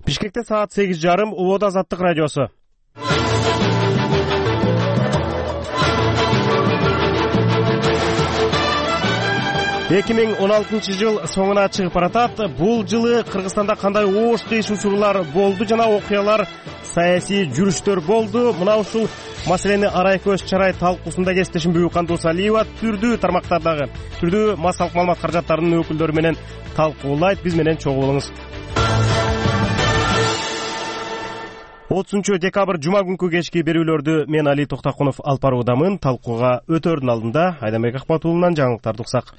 Бишкекте саат 8:30, Улоодо Азаттык радиосу. Эки миң 16 жыл соңуна чыгып баратат. Бул жылы Кыргызстанда кандай оош кыйш учурлар болду жана окуялар, саясий жүрүштөр болду? Мына ушул маселени арай көз чарай талкуусунда кесиптешим Бүкан Досалиева түрдүү тармактардагы, түрдүү массалык маалымат каражаттарынын өкүлдөрү менен талкуулайт. Биз менен чогуу болуңуз. 30 декабрь жума күнкү кечки берүүлөрдү мен Али Токтакунов алып баруудамын. Талкууга өтөрдүн алдында Айдамбек Акматуллунан жаңылыктарды уксак.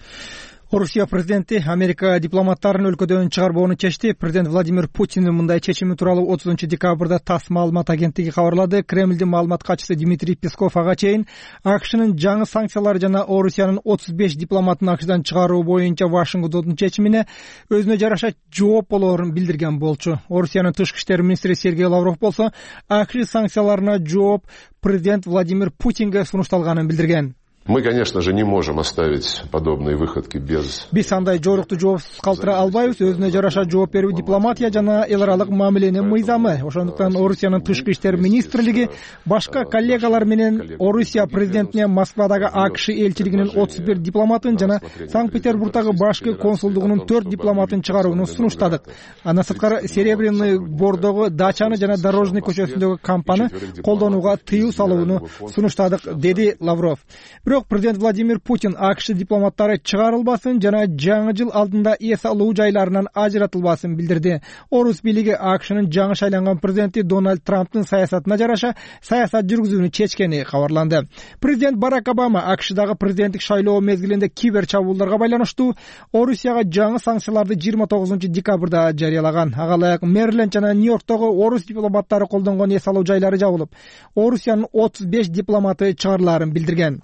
Орусия президенти Америка дипломаттарын өлкөдөн чыгарбоону чечти. Президент Владимир Путиндин мындай чечими тууралуу 30 декабрда ТАСС маалымат агенттиги кабарлады. Кремлдин маалымат катчысы Дмитрий Песков ага чейин АКШнын жаңы санкциялары жана Орусиянын 35 дипломатын АКШдан чыгаруу боюнча Вашингтондун чечимине өзүнө жараша жооп болоорун билдирген болчу. Орусиянын тышкы иштер министри Сергей Лавров болсо АКШ санкцияларына жооп президент Владимир Путинге сунушталганын билдирген. Мы, конечно же, не можем оставить подобные выходки без... Биз андай жорукту жоопсуз калтыра албайбыз. Өзүнө жараша жооп берүү дипломатия жана эл аралык мамиленин мыйзамы. Ошондуктан Орусиянын тышкы иштер министрлиги башка коллегалар менен Орусия президентине Москвадагы АКШ элчилигинин 31 дипломатын жана Санкт-Петербургдагы башкы консулдугунун 4 дипломатын чыгарууну сунуштадык. Андан сырткары Серебряный Бордогу дачаны жана Дорожный көчөсүндөгү кампаны колдонууга тыюу салууну сунуштадык, деди Лавров. Бирок президент Владимир Путин АКШ дипломаттары чыгарылбасын жана жаңы жыл алдында эс алуу жайларынан ажыратылбасын билдирди. Орус бийлиги АКШнын жаңы шайланган президенти Дональд Трамптын саясатына жараша саясат жүргүзүүнү чечкени кабарланды. Президент Барак Обама АКШдагы президенттик шайлоо мезгилинде кибер чабуулдарга байланыштуу Орусияга жаңы санкцияларды 29 декабрда жарыялаган. Ага ылайык Мэриленд жана Нью-Йорктогу орус дипломаттары колдонгон эс алуу жайлары жабылып, Орусиянын 35 дипломаты чыгарылаарын билдирген.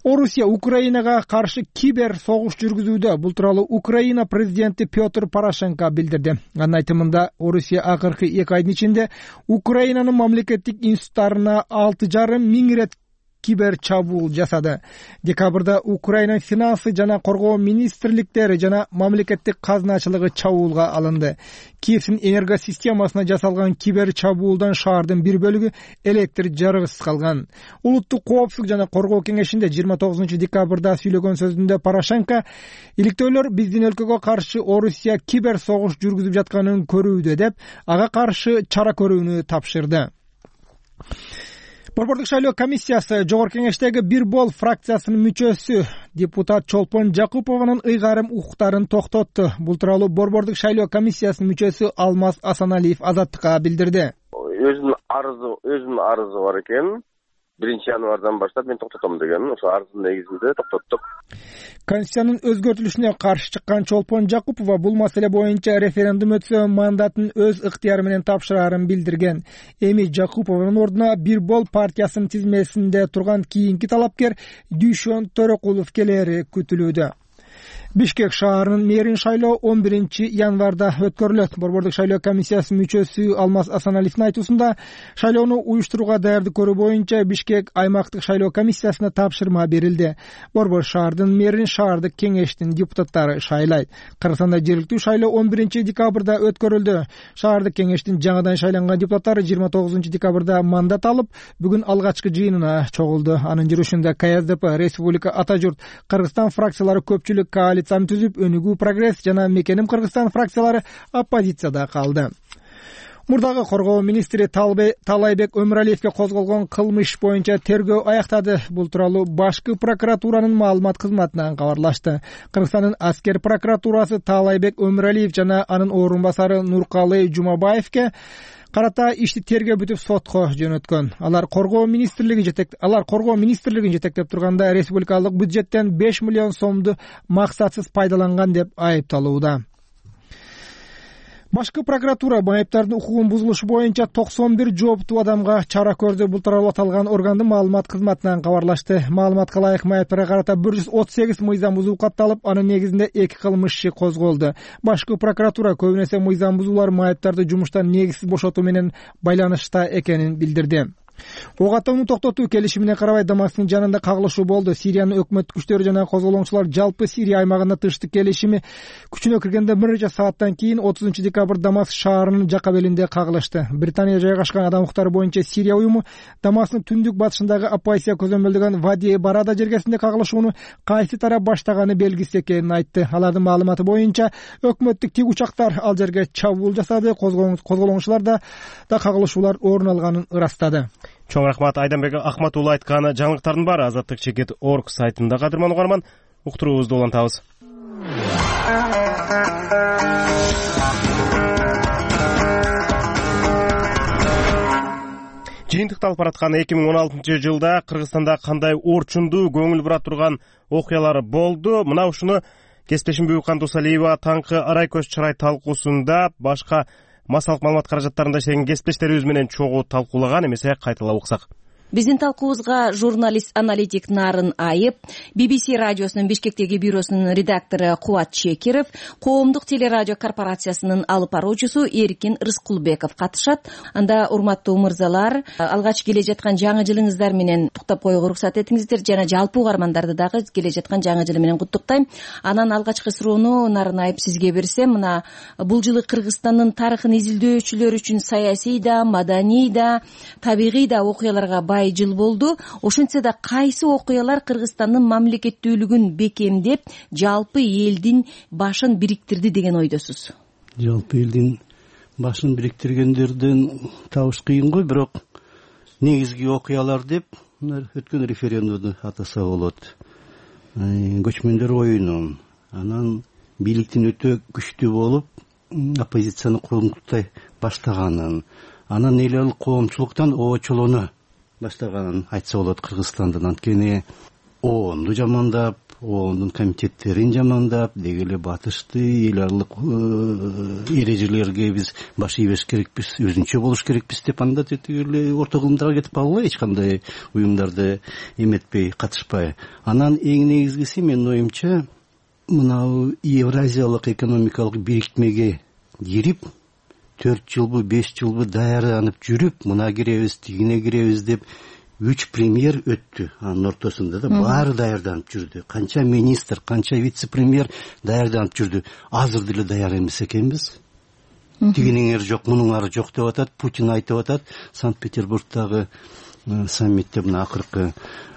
Орусия Украинага каршы кибер согуш жүргүзүүдө. Бул тууралуу Украина президенти Петр Порошенко билдирди. Анын айтымында Орусия акыркы 2 айдын ичинде Украинанын мамлекеттик институттарына 6,5 миң ирет кибер чабуул жасады. Декабрда Украина финансы жана коргоо министрликтери жана мамлекеттик казначылыгы чабуулга алынды. Киевдин энергосистемасына жасалган кибер чабуулдан шаардын бир бөлүгү электр жарыгысыз калган. Улуттук коопсуздук жана коргоо кеңешинде 29 декабрда сүйлөгөн сөзүндө Порошенко иликтөөлөр биздин өлкөгө каршы Орусия кибер согуш жүргүзүп жатканын көрүүдө деп, ага каршы чара көрүүнү тапшырды. Борбордук шайлоо комиссиясы Жогорку кеңештеги Бир бол фракциясынын мүчөсү депутат Чолпон Жакупованын ыйгарым укуктарын токтотту. Бул тууралуу Борбордук шайлоо комиссиясынын мүчөсү Алмаз Асаналиев Азаттыкка билдирди. Өзүнүн арызы бар экен. январдан баштап мен токтотом деген ошо арыздын негизинде токтоттук. Конституциянын өзгөртүлүшүнө каршы чыккан Чолпон Жакупова бул маселе боюнча референдум өтсө мандатын өз ыктыяры менен тапшырарын билдирген. Эми Жакупованын ордуна Бир Бол партиясынын тизмесинде турган кийинки талапкер Дүйшөн Төрөкулов келери күтүлүүдө. Бишкек шаарынын мэрин шайлоо 11 январда өткөрүлөт. Борбордук шайлоо комиссиясынын мүчөсү Алмаз Асаналиевдин айтуусунда шайлоону уюштурууга даярдык көрүү боюнча Бишкек аймактык шайлоо комиссиясына тапшырма берилди. Борбор шаардын мэрин шаардык кеңештин депутаттары шайлайт. Кыргызстанда жергиликтүү шайлоо 11 декабрда өткөрүлдү. Шаардык кеңештин жаңыдан шайланган депутаттары 29 декабрда мандат алып, бүгүн алгачкы жыйынына чогулду. Анын жүрүшүндө КСДП, Республика Ата журт, Кыргызстан фракциялары көпчүлүк коалицияны түзүп, Өнүгүү Прогресс жана Мекеним Кыргызстан фракциялары оппозицияда калды. Мурдагы коргоо министри Таалайбек Өмүралиевге козголгон кылмыш боюнча тергөө аяктады. Бул тууралуу башкы прокуратуранын маалымат кызматынан кабарлашты. Кыргызстандын аскер прокуратурасы Таалайбек Өмүралиев жана анын орун басары Нуркалы Жумабаевке карата ишти тергөө бүтүп сотко жөнөткөн. Алар коргоо министрлигин жетектеп турганда республикалык бюджеттен 5 миллион сомду максатсыз пайдаланган деп айыпталууда. Башкы прокуратура майыптардын укугун бузулушу боюнча 91 жооптуу адамга чара көрдү. Бул тууралуу аталган органдын маалымат кызматынан кабарлашты. Маалыматка ылайык майыптарга карата 138 мыйзам бузуу катталып, анын негизинде 2 кылмыш иши козголду. Башкы прокуратура көбүн эсе мыйзам бузуулар майыптарды жумуштан негизсиз бошотуу менен байланышта экенин билдирди. Ок атууну токтотуу келишимине карабай Дамасктын жанында кагылышуу болду. Сириянын өкмөт күчтөрү жана козголоңчулар жалпы Сирия аймагында тынчтык келишими күчүнө киргенде бир нече сааттан кийин 30 декабрь Дамаск шаарынын жака белинде кагылышты. Британия жайгашкан адам укуктары боюнча Сирия уюму Дамасктын түндүк батышындагы оппозиция көзөмөлдөгөн Вади Барада жергесинде кагылышууну кайсы тарап баштаганы белгисиз экенин айтты. Алардын маалыматы боюнча өкмөттүк тик учактар ал жерге чабуул жасады. Козголоңчуларда да кагылышуулар орун алганын ырастады. Чоң рахмат Айданбек Ахматуулу айткан жаңылыктардын баары Азаттык чекит орг сайтында. Кадырман угарман, уктуруубузду улантабыз. Жыйынтыкталып бараткан 2016 жылда Кыргызстанда кандай орчундуу көңүл бура турган окуялар болду? Мына ушуну кесиптешим Бүкан Дусалиева таңкы арай көз чырай талкуусунда башка массалык маалымат каражаттарында иштеген кесиптештерибиз менен чогуу талкуулаган. Эмесе кайталап уксак. Биздин талкуубузга журналист-аналитик Нарын Айып, BBC радиосунун Бишкектеги бюросунун редактору Кубат Чекиров, Коомдук телерадио корпорациясынын алып баруучусу Эркин Рыскулбеков катышат. Анда урматтуу мырзалар, алгач келе жаткан жаңы жылыңыздар менен туктап коюуга уруксат этиңиздер жана жалпы угармандарды дагы келе жаткан жаңы жыл менен куттуктайм. Анан алгачкы суроону Нарын Айып сизге берсем, мына бул жылы Кыргызстандын тарыхын изилдөөчүлөр үчүн саясий да, маданий да, табигый да окуяларга жыл болду. Ошентсе да кайсы окуялар Кыргызстандын мамлекеттүүлүгүн бекемдеп, жалпы элдин башын бириктирди деген ойдосуз? Жалпы элдин башын бириктиргендерден табыш кыйын бирок негизги окуялар деп өткөн референдумду атаса болот. Көчмөндөр оюну, анан бийликтин өтө күчтүү болуп, оппозицияны курултай баштаганын, анан эл коомчулуктан оочолону баштаганын айтса болот Кыргызстандын. Анткени ООНду жамандап, ООНдун комитеттерин жамандап, деги эле батышты эл аралык эрежелерге биз баш ийбеш керекпиз, өзүнчө болуш керекпиз деп анда теги эле орто кылымдарга кетип калгыла, эч кандай уюмдарды эметпей, катышпай. Анан эң негизгиси менин оюмча мына Евразиялык экономикалык бирикмеге кирип 4 жылбы 5 жылбы даярданып жүрүп, мына киребиз, тигине киребиз деп 3 премьер өттү. Анын ортосунда да баары даярданып жүрдү. Канча министр, канча вице-премьер даярданып жүрдү. Азыр деле даяр эмес экенбиз. Тигинин ары жок, мунун ары жок деп атат. Путин айтып атат, Санкт-Петербургдагы саммитте мына акыркы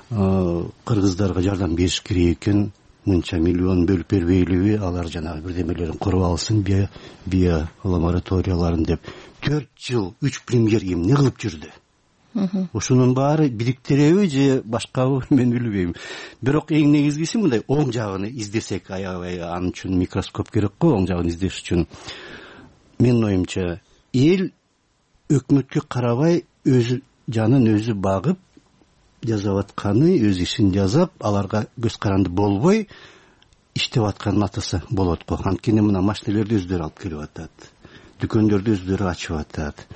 кыргыздарга жардам бериш керек экен. Мынча миллион бөлүп бербейлиби, алар жанагы бирдемелерин куруп алсын, био лабораторияларын деп 4 жыл 3 премьер эмне кылып жүрдү? Ушунун баары бириктиреби же башкабы мен билбейм. Бирок эң негизгиси мындай оң жагын издесек, аябай анын үчүн микроскоп керек го, оң жагын издеш үчүн. Менин оюмча, эл өкмөткө карабай өзү жанын өзү багып, жасап атканы өз ишин жасап, аларга көз каранды болбой иштеп атканын атаса болот го. Анткени мына машинелерди өздөрү алып келип атат, дүкөндөрдү өздөрү ачып атат,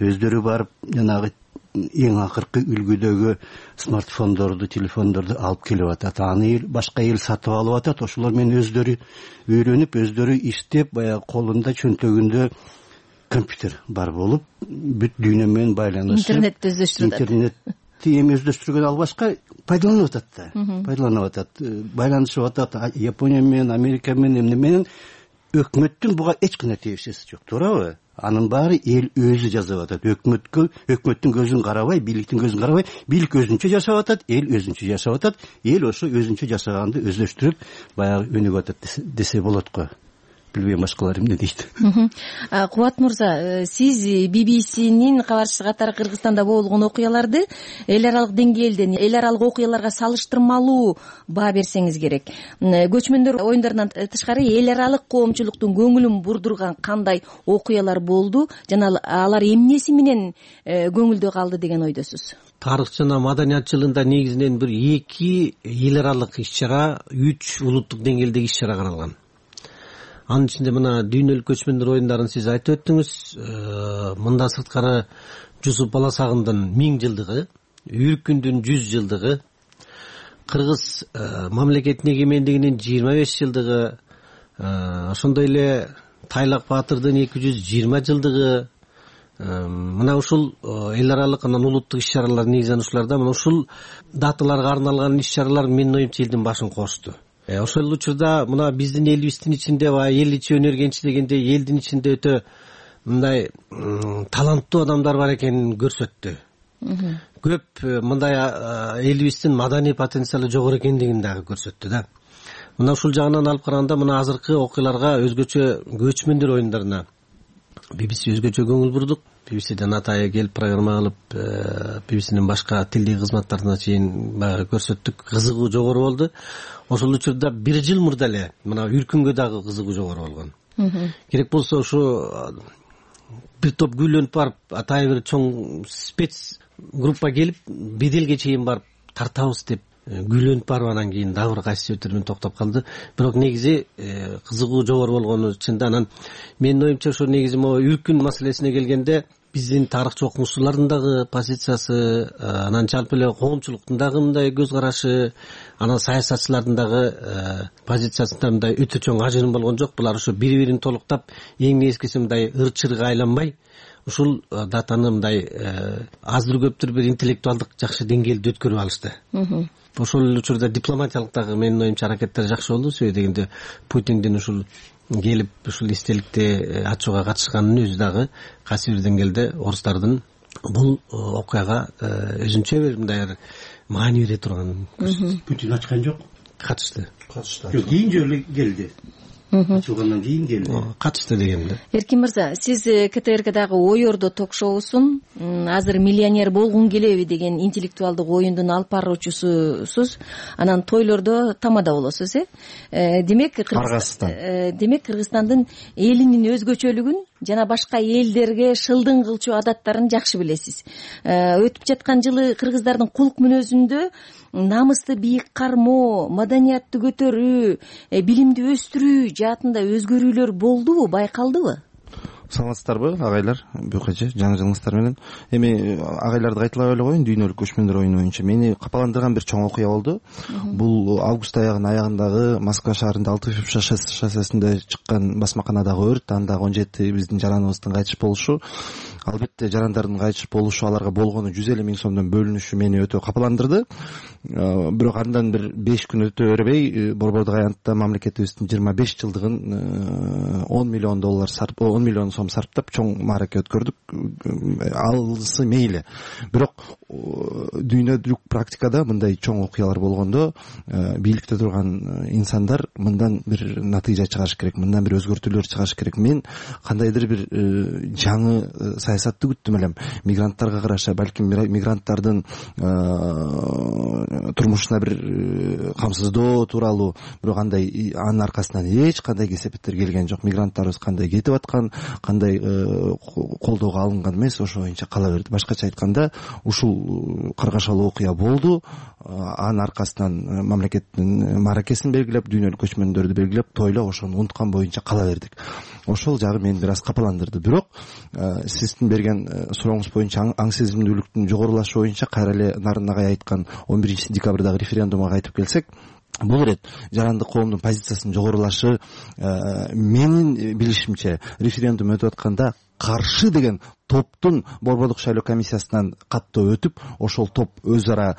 өздөрү барып жанагы эң акыркы үлгүдөгү смартфондорду, телефондорду алып келип атат. Аны башка эл сатып алып атат. Ошолор менен өздөрү үйрөнүп, өздөрү иштеп, баягы колунда, чөнтөгүндө компьютер бар болуп, бүт дүйнө менен байланышып, интернетти өздөштүрүп атат. Интернетти эми өздөштүргөн ал башка пайдаланып атат да. Пайдаланып атат, байланышып атат Япония менен, Америка менен, эмне менен. Өкмөттүн буга эч кандай тиешеси жок, туурабы? Анын баары эл өзү жасап атат. Өкмөттүн көзүн карабай, бийликтин көзүн карабай, бийлик өзүнчө жашап атат, эл өзүнчө жашап атат. Эл ошо өзүнчө жашаганды өздөштүрүп, баягы өнүгүп атат десе болот го. Билбейм башкалар эмне дейт. Кубат мырза, сиз BBC-нин кабарчысы катары Кыргызстанда болгон окуяларды эл аралык деңгээлден, эл аралык окуяларга салыштырмалуу баа берсеңиз керек. Көчмөндөр оюндарынан тышкары эл аралык коомчулуктун көңүлүн бурдурган кандай окуялар болду жана алар эмнеси менен көңүлдө калды деген ойдосуз? Тарых жана маданият жылында негизинен бир 2 эл аралык иш-чара, 3 улуттук деңгээлдеги иш-чара каралган. Анын ичинде мына дүйнөлүк көчмөндөр оюндарын сиз айтып өттүңүз. Мында сырткары Жусуп Баласагындын 1000 жылдыгы, Үркүндүн 100 жылдыгы, Кыргыз мамлекетинин эгемендигинин 25 жылдыгы, ошондой эле Тайлак Баатырдын 220 жылдыгы, мына ушул эл аралык анан улуттук иш-чаралар негизинен ушуларда мына ушул даталарга арналган иш-чаралар менин оюмча элдин башын кочту. Ошол учурда мына биздин элибиздин ичинде эл ичи өнөргенчи дегенде элдин ичинде өтө мындай таланттуу адамдар бар экенин көрсөттү. Көп мындай элибиздин маданий потенциалы жогору экендигин дагы көрсөттү да. Мына ушул жагынан алып караганда мына азыркы окуяларга өзгөчө көчмөндөр оюндарына BBC өзгөчө көңүл бурдук. BBC'ден атайы келип программа кылып, BBC'нин башка тилдик кызматтарына чейин баягы көрсөттүк. Кызыгуу жогору болду. Ошол учурда 1 жыл мурда эле мына Үркүнгө дагы кызыгуу жогору болгон. Керек болсо ушу бир топ күйлөнүп барып, атайы бир чоң спец группа келип, беделге чейин барып тартабыз деп күйлөнүп барып анан кийин дагы бир кайсы себептермен токтоп калды. Бирок негизи кызыгуу жогору болгону чында. Анан менин оюмча ошо негизи могу Үркүн маселесине келгенде биздин тарыхчы окумуштуулардын дагы позициясы, анан жалпы эле коомчулуктун дагы мындай көз карашы, анан саясатчылардын дагы позициясында мындай өтө чоң ажырым болгон жок. Булар ошо бири-бирин толуктап, эң негизгиси мындай ыр-чырга айланбай, ушул датаны мындай аздыр-көптүр бир интеллектуалдык жакшы деңгээлде өткөрүп алышты. Ошол учурда дипломатиялык дагы менин оюмча аракеттер жакшы болду. Себеби дегенде Путиндин ушул келип ушул эстеликти ачууга катышканын өзү дагы кайсы бир деңгээлде орустардын бул окуяга өзүнчө бир мындай маани бере турганын көрсөттү. Путин ачкан жок, катышты. Жок, кийин жолу келди. Ачылгандан кийин келди. Катышты дегенде. Эркин мырза, сиз КТРКдагы Ой Ордо ток-шоусун азыр миллионер болгун келеби деген интеллектуалдык оюндун алып баруучусусуз. Анан тойлордо тамада болосуз, демек Кыргызстандын элинин өзгөчөлүгүн жана башка элдерге шылдың кылчу адаттарын жакшы билесиз. Өтүп жаткан жылы кыргыздардын кулк мүнөзүндө намысты бийик кармоо, маданиятты көтөрүү, билимди өстүрүү жаатында өзгөрүүлөр болдубу, байкалдыбы? Саламатсыздарбы агайлар, бүйкөчө жаңы жылыңыздар менен. Эми агайларды кайталап эле коеюн, дүйнөлүк көчмөндөр оюну боюнча мени капаландырган бир чоң окуя болду. Бул август аягынын аягындагы Москва шаарында 6 шоссесинде чыккан басмаканадагы өрт, андагы 17 биздин жараныбыздын кайтыш болушу. Албетте жарандардын кайтыш болушу, аларга болгону 150 000 сомдон бөлүнүшү мени өтө капаландырды. Бирок андан бир 5 күн өтө бербей Борбордук аянтта мамлекетибиздин 25 жылдыгын $10 миллион сом сарптап чоң маараке өткөрдүк. Алысы мейли. Бирок дүйнөлүк практикада мындай чоң окуялар болгондо бийликте турган инсандар мындан бир натыйжа чыгарыш керек, мындан бир өзгөртүүлөр чыгарыш керек. Мен кандайдыр бир жаңы саясатты күттүм элем. Мигранттарга караша, балким мигранттардын турмушуна бир камсыздоо тууралуу, бирок андай анын аркасынан эч кандай кесепеттер келген жок. Мигранттарыбыз кандай кетип аткан, кандай колдоого алынган эмес, ошо боюнча кала берди. Башкача айтканда, ушул бул каргашалуу окуя болду. Анын аркасынан мамлекеттин мааракесин белгилеп, дүйнөлүк көчмөндөрдү белгилеп, тойлоп ошону унуткан боюнча кала бердик. Ошол жагы мени бир аз капаландырды. Бирок сиздин берген сурооңуз боюнча аң сезимдүүлүктүн жогорулашы боюнча кайра эле Нарын агай айткан 11 декабрдагы референдумга кайтып келсек, бул ирет жарандык коомдун позициясынын жогорулашы менин билишимче референдум өтүп атканда каршы деген топтун Борбордук шайлоо комиссиясынан каттоо өтүп, ошол топ өз ара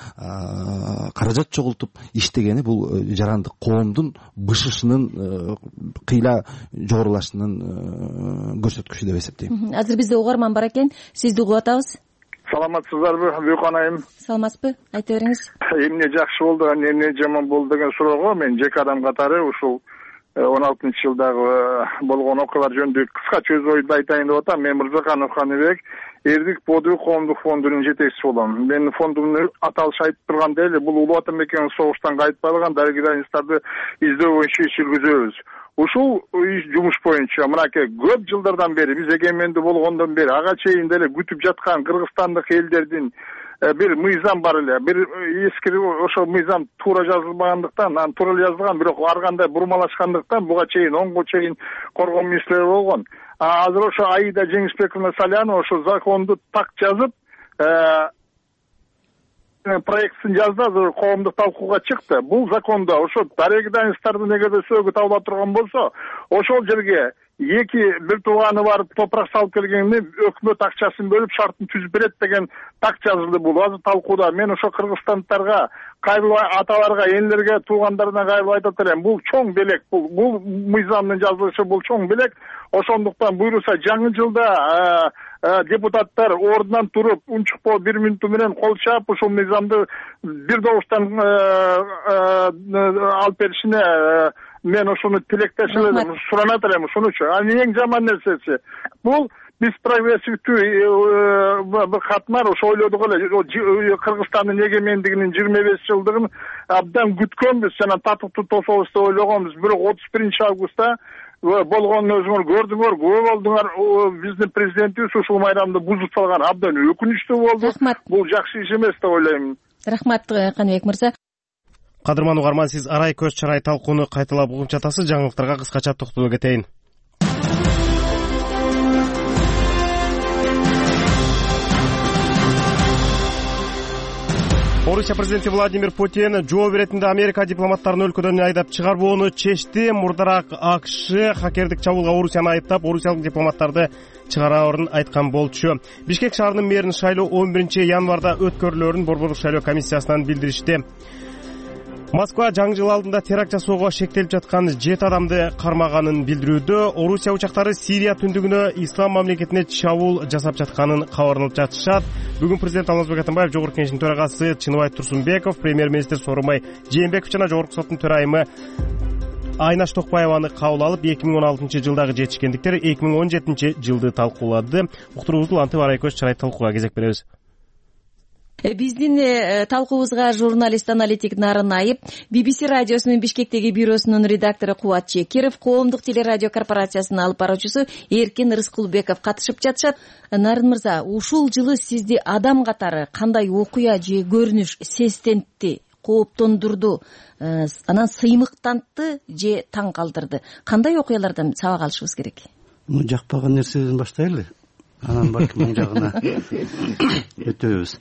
каражат чогултуп иштегени бул жарандык коомдун бышышынын кыйла жогорулашынын көрсөткүчү деп эсептейм. Азыр бизде угарман бар экен, сизди угуп атабыз. Саламатсыздарбы, Бүйкөн айым? Саламатсызбы? Айта бериңиз. Эмне жакшы болду, эмне жаман болду деген суроого мен жеке адам катары ушул 16-жылдагы болгон окуялар жөнүндө кыскача өз оюмду айтайын деп атам. Мен Мырзаканов Каныбек, Эрдик Бодуй коомдук фондунун жетекчиси болом. Менин фондумдун аталышы айтып тургандай эле, бул Улуу Ата Мекенин согуштан кайтпаган дарыгидайныстарды издөө боюнча иш жүргүзөбүз. Ушул жумуш боюнча мынакей көп жылдардан бери, биз эгемендүү болгондон бери ага чейин деле күтүп жаткан кыргызстандык элдердин бир мыйзам бар эле. Бир эски ошол мыйзам туура жазылбагандыктан, анан туура жазылган, бирок ар кандай бурмалашкандыктан буга чейин онго чейин коргоо министрлери болгон. Азыр ошо Аида Жеңишбековна Салянова ошо законду так жазып, проектин жазды, азыр коомдук талкууга чыкты. Бул закондо ошо дарыгидайныстардын эгерде сөөгү табыла турган болсо, ошол жерге эки бир тууганы барып топурак салып келгенде өкмөт акчасын бөлүп шартын түзүп берет деген так жазылды. Бул азыр талкууда. Мен ошо кыргызстандыктарга, кайрылуу аталарга, энелерге, туугандарына кайрылып айтат элем. Бул чоң белек, бул мыйзамдын жазылышы, бул чоң белек. Ошондуктан буйруса жаңы жылда депутаттар ордунан туруп, унчукпоо 1 мүнөтү менен кол чаап ушул мыйзамды бир добуштан алып беришине мен ошону тилектешим, суранат элем ушунучу. Анын эң жаман нерсеси бул биз прогрессивдүү бир катмар ошо ойлодук эле, Кыргызстандын эгемендигинин 25 жылдыгын абдан күткөнбүз, жана татыктуу тособуз деп ойлогонбуз. Бирок 31 августта болгонун өзүңөр көрдүңөр, күбө болдуңар. Биздин президентибиз ушул майрамды бузуп салган абдан өкүнүчтүү болду. Бул жакшы иш эмес деп ойлойм. Рахмат Каныбек мырза. Кадырман угарман, сиз арай көз чарай талкууну кайталап угуп жатасыз. Жаңылыктарга кыскача токтолуп кетейин. Орусия президенти Владимир Путин жоо беретинде Америка дипломаттарын өлкөдөн айдап чыгарбоону чечти. Мурдараак АКШ хакердик чабуулга Орусияны айыптап, орусиялык дипломаттарды чыгараарын айткан болчу. Бишкек шаарынын мэрин шайлоо 11 январда өткөрүлөрүн Борбордук шайлоо комиссиясынан билдиришти. Москва жаңы жыл алдында теракт жасоого шектелип жаткан 7 адамды кармаганын билдирүүдө. Орусия учактары Сирия түндүгүнө ислам мамлекетине чабуул жасап жатканын кабарлап жатышат. Бүгүн президент Алмазбек Атамбаев, Жогорку Кеңештин төрагасы Чыныбай Турсунбеков, премьер-министр Сооронбай Жээнбеков жана Жогорку соттун төрайымы Айнаш Токпаеваны кабыл алып, 2016 жылдагы жетишкендиктер 2017 жылды талкуулады. Уктуруубузду улантып арай көз чарай талкууга кезек беребиз. Биздин талкуубузга журналист-аналитик Нарын Айып, BBC радиосунун Бишкектеги бюросунун редактору Кубат Чекиров, коомдук телерадио корпорациясынын алып баруучусу Эркин Рыскулбеков катышып жатышат. Нарын мырза, ушул жылы сизди адам катары кандай окуя же көрүнүш сестентти, кооптондурду, анан сыймыктантты же таң калтырды? Кандай окуялардан сабак алышыбыз керек? Жакпаган нерседен баштайлы. Анан балким оң жагына өтөбүз.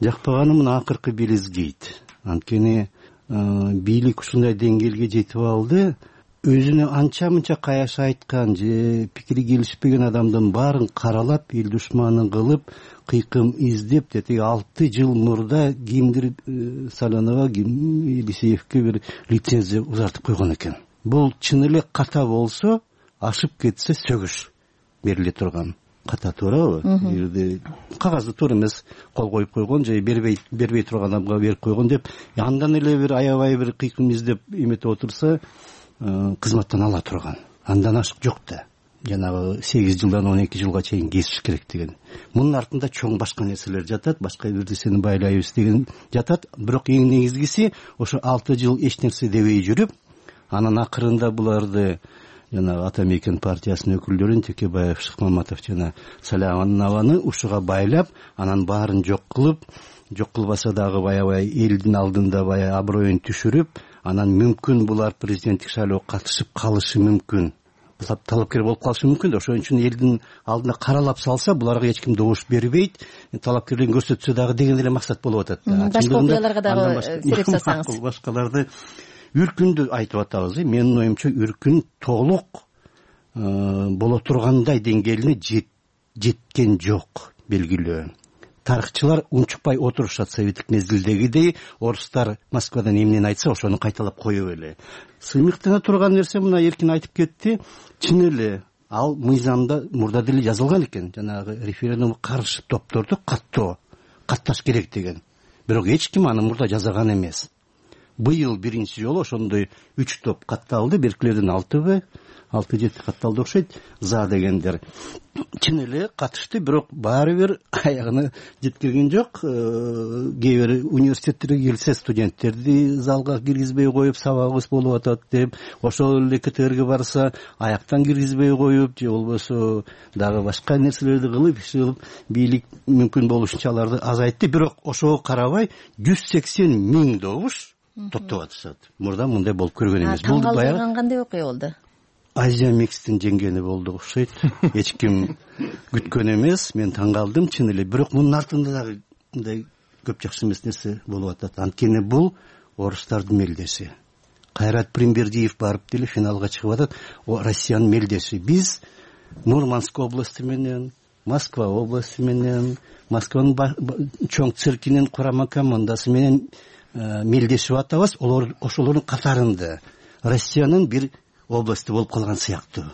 Жакпаганы мына акыркы белизгейт. Анткени бийлик ушундай деңгээлге жетип алды, өзүнө анча-мынча каяш айткан же пикири келишпеген адамдын баарын каралап, эл душманын кылып, кыйкым издеп, тетиги 6 жыл мурда кимдир Салянова, Елисеевке бир лицензия узартып койгон экен. Бул чын эле ката болсо, ашып кетсе сөгүш бериле турган. Ката туурабы? Жерде кагазды туура эмес кол коюп койгон же бербей турган адамга берип койгон деп, андан эле бир аябай бир кыйкым издеп эметип отурса, кызматтан ала турган. Андан ашык жок да. Жанагы 8 жылдан 12 жылга чейин кесиш керек деген. Мунун артында чоң башка нерселер жатат, башка бир нерсени байлайбыз деген жатат. Бирок эң негизгиси ошо 6 жыл эч нерсе дебей жүрүп, анан акырында буларды жана ата мекен партиясынын өкүлдөрүн Текебаев, Шыкмаматов жана Саляванованы ушуга байлап, анан баарын жок кылбаса дагы баягы элдин алдында баягы аброюн түшүрүп, анан мүмкүн булар президенттик шайлоого катышып калышы мүмкүн, талапкер болуп калышы мүмкүн. Ошон үчүн элдин алдына каралап салса, буларга эч ким добуш бербейт, талапкерлигин көрсөтсө дагы деген эле максат болуп атат. Башка окуяларга дагы сереп сасаңыз. Башкаларды үркүндү айтып атабыз. Менин оюмча үркүн толук боло тургандай деңгээлине жеткен жок, белгилүү. Тарыхчылар унчукпай отурушат советтик мезгилдегидей, орустар Москвадан эмнени айтса ошону кайталап коюп эле. Сыймыктана турган нерсе мына эркин айтып кетти. Чын эле ал мыйзамда мурда деле жазылган экен, жанагы референдумга каршы топторду катташ керек деген. Бирок эч ким аны мурда жазаган эмес. Быйыл биринчи жолу ошондой 3 топ катталды, беркилерден 6-7 катталды окшойт, за дегендер. Чын эле катышты, бирок баары бир аягына жеткирген жок. Кээ бир университеттерге келсе, студенттерди залга киргизбей коюп, сабагыбыз болуп атат деп, ошол эле КТРге барса, аяктан киргизбей коюп, же болбосо дагы башка нерселерди кылып, иш кылып, бийлик мүмкүн болушунча аларды азайтты. Бирок ошого карабай 180 000 добуш топтоп атышат. Мурда мындай болуп көргөн эмес. Бул баягы кандай окуя болду? Азия Микстин жеңгени болду окшойт. Эч ким күткөн эмес. Мен таң калдым чын эле. Бирок мунун артында дагы мындай көп жакшы эмес нерсе болуп атат. Анткени бул орустардын мелдеси. Кайрат Примбердиев барып деле финалга чыгып атат. Россиянын мелдеси. Биз Мурманск областы менен, Москва областы менен, Москванын чоң циркинин курама командасы менен мелдешип атабыз. Ошолордун катарында Россиянын бир областы болуп калган сыяктуу.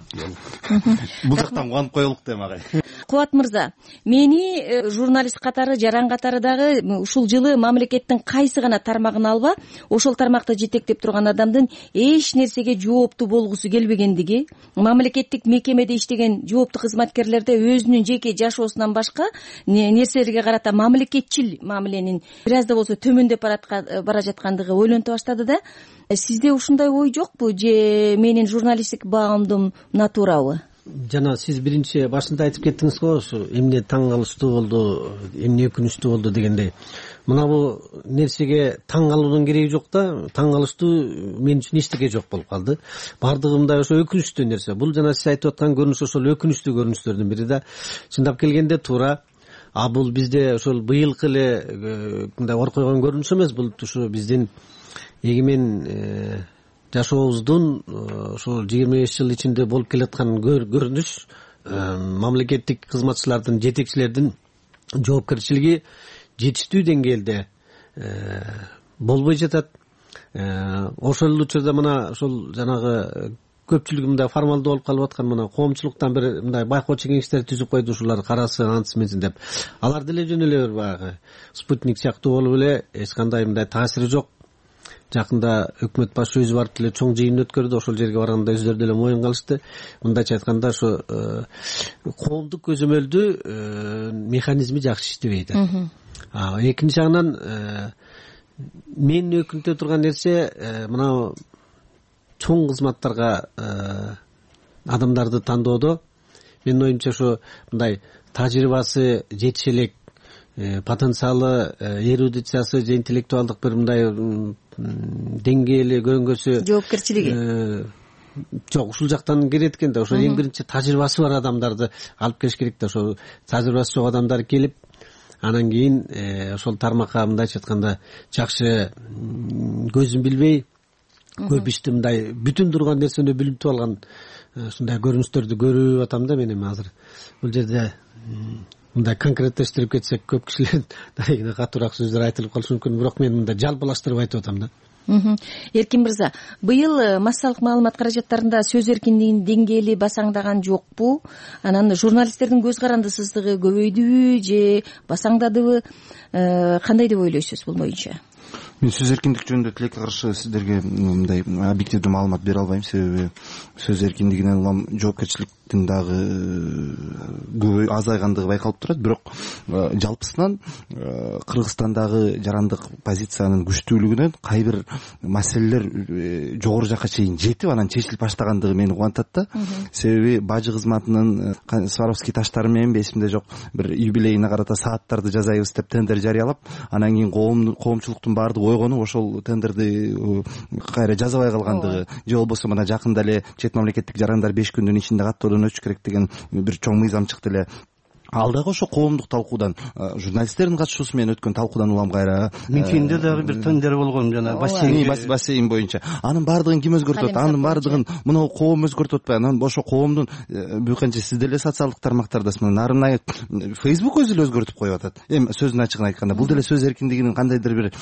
Бул жактан кубанып коелук дейм агай. Кубат мырза, мени журналист катары, жаран катары дагы ушул жылы мамлекеттин кайсы гана тармагын алба, ошол тармакта жетектеп турган адамдын эч нерсеге жооптуу болгусу келбегендиги, мамлекеттик мекемеде иштеген жооптуу кызматкерлерде өзүнүн жеке жашоосунан башка нерселерге карата мамлекетчил мамиленин бир аз да болсо төмөндөп бара жаткандыгы ойлонто баштады да. Сизде ушундай ой жокпу, же менин журналисттик баамдым натурабы? Жана сиз биринчи башында айтып кеттиңиз го, ушу эмне таң калыштуу болду, эмне өкүнүчтүү болду дегендей. Мына бул нерсеге таң калуунун кереги жок да, таң калыштуу мен үчүн эчтеке жок болуп калды. Бардыгы мындай ошо өкүнүчтүү нерсе. Бул жана сиз айтып аткан көрүнүш ошол өкүнүчтүү көрүнүштөрдүн бири да. Чындап келгенде туура. Бул бизде ошол быйылкы эле мындай ор койгон көрүнүш эмес, бул ушу биздин эгемен жашообуздун ошол 25 жыл ичинде болуп келаткан көрүнүш. Мамлекеттик кызматчылардын, жетекчилердин жоопкерчилиги жетиштүү деңгээлде болбой жатат. Ошол учурда мына ошол жанагы көпчүлүгү мындай формалдуу болуп калып аткан мына коомчулуктан бир мындай байкоочу кеңештер түзүп койду, ушулар карасын, антсын менсин деп. Алар деле жөн эле баягы спутник сыяктуу болуп эле эч кандай мындай таасири жок. Жакында өкмөт башы өзү барып деле чоң жыйын өткөрдү. Ошол жерге барганда өздөрү деле моюн калышты. Мындайча айтканда ошо коомдук көзөмөлдүү механизми жакшы иштебейт. Экинчи жагынан мен өкүнтө турган нерсе мына чоң кызматтарга адамдарды тандоодо менин оюмча ошо мындай тажрыйбасы жетише элек, потенциалы, эрудициясы же интеллектуалдык бир мындай деңгээли көрүнгөсү, жоопкерчилиги жок, ушул жактан келет экен да. Ошо эң биринчи тажрыйбасы бар адамдарды алып келиш керек да. Ошо тажрыйбасы жок адамдар келип, анан кийин ошол тармакка мындайча айтканда жакшы көзүн билбей, көп ишти мындай бүтүн турган нерсени билип алган ушундай көрүнүштөрдү көрүп атам да мен эми азыр. Бул жерде мындай конкреттештирип кетсек көп кишилер дайыгына катуураак сөздөр айтылып калышы мүмкүн, бирок мен мындай жалпылаштырып айтып атам да. Эркин мырза, быйыл массалык маалымат каражаттарында сөз эркиндигинин деңгээли басаңдаган жокпу? Анан журналисттердин көз карандысыздыгы көбөйдүбү же басаңдадыбы? Кандай деп ойлойсуз бул боюнча? мен сөз эркиндиги жөнүндө тилекке каршы сиздерге мындай объективдүү маалымат бере албайм, себеби сөз эркиндигинен улам жоопкерчиликтин дагы азайгандыгы байкалып турат. Бирок жалпысынан Кыргызстандагы жарандык позициянын күчтүүлүгүнөн кайбир маселелер жогору жакка чейин жетип анан чечилип баштагандыгы мени кубантат да. Себеби бажы кызматынын Сваровский таштары менен эсимде жок, бир юбилейине карата сааттарды жасайбыз деп тендер жарыялап, анан кийин коомчулуктун баардыгы ойгонуп ошол тендерди кайра жазабай калгандыгы, же болбосо мына жакында эле чет мамлекеттик жарандар 5 күндүн ичинде каттоодон өтүш керек деген бир чоң мыйзам чыкты эле. Ал дагы ошо коомдук талкуудан, журналисттердин катышуусу менен өткөн талкуудан улам кайра Мичинде дагы бир тендер болгон, жана бассейн боюнча. Анын баардыгын ким өзгөртөт? Анын баардыгын мына коом өзгөртүп атпайбы? Анан ошо коомдун бүйкенче сиз деле социалдык тармактардасыз, нарынай Facebook өзү эле өзгөртүп коюп атат. Эми сөздүн ачыгын айтканда, бул деле сөз эркиндигинин кандайдыр бир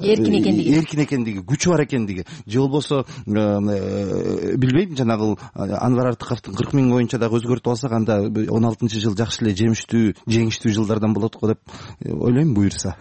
эркин экендиги, күчү бар экендиги, же болбосо билбейм, жанагы Анвар Артыковдун 40 000 боюнча дагы өзгөртүп алсак, анда 16-жыл жакшы эле жеңиштүү жылдардан болот го деп ойлойм, буюрса.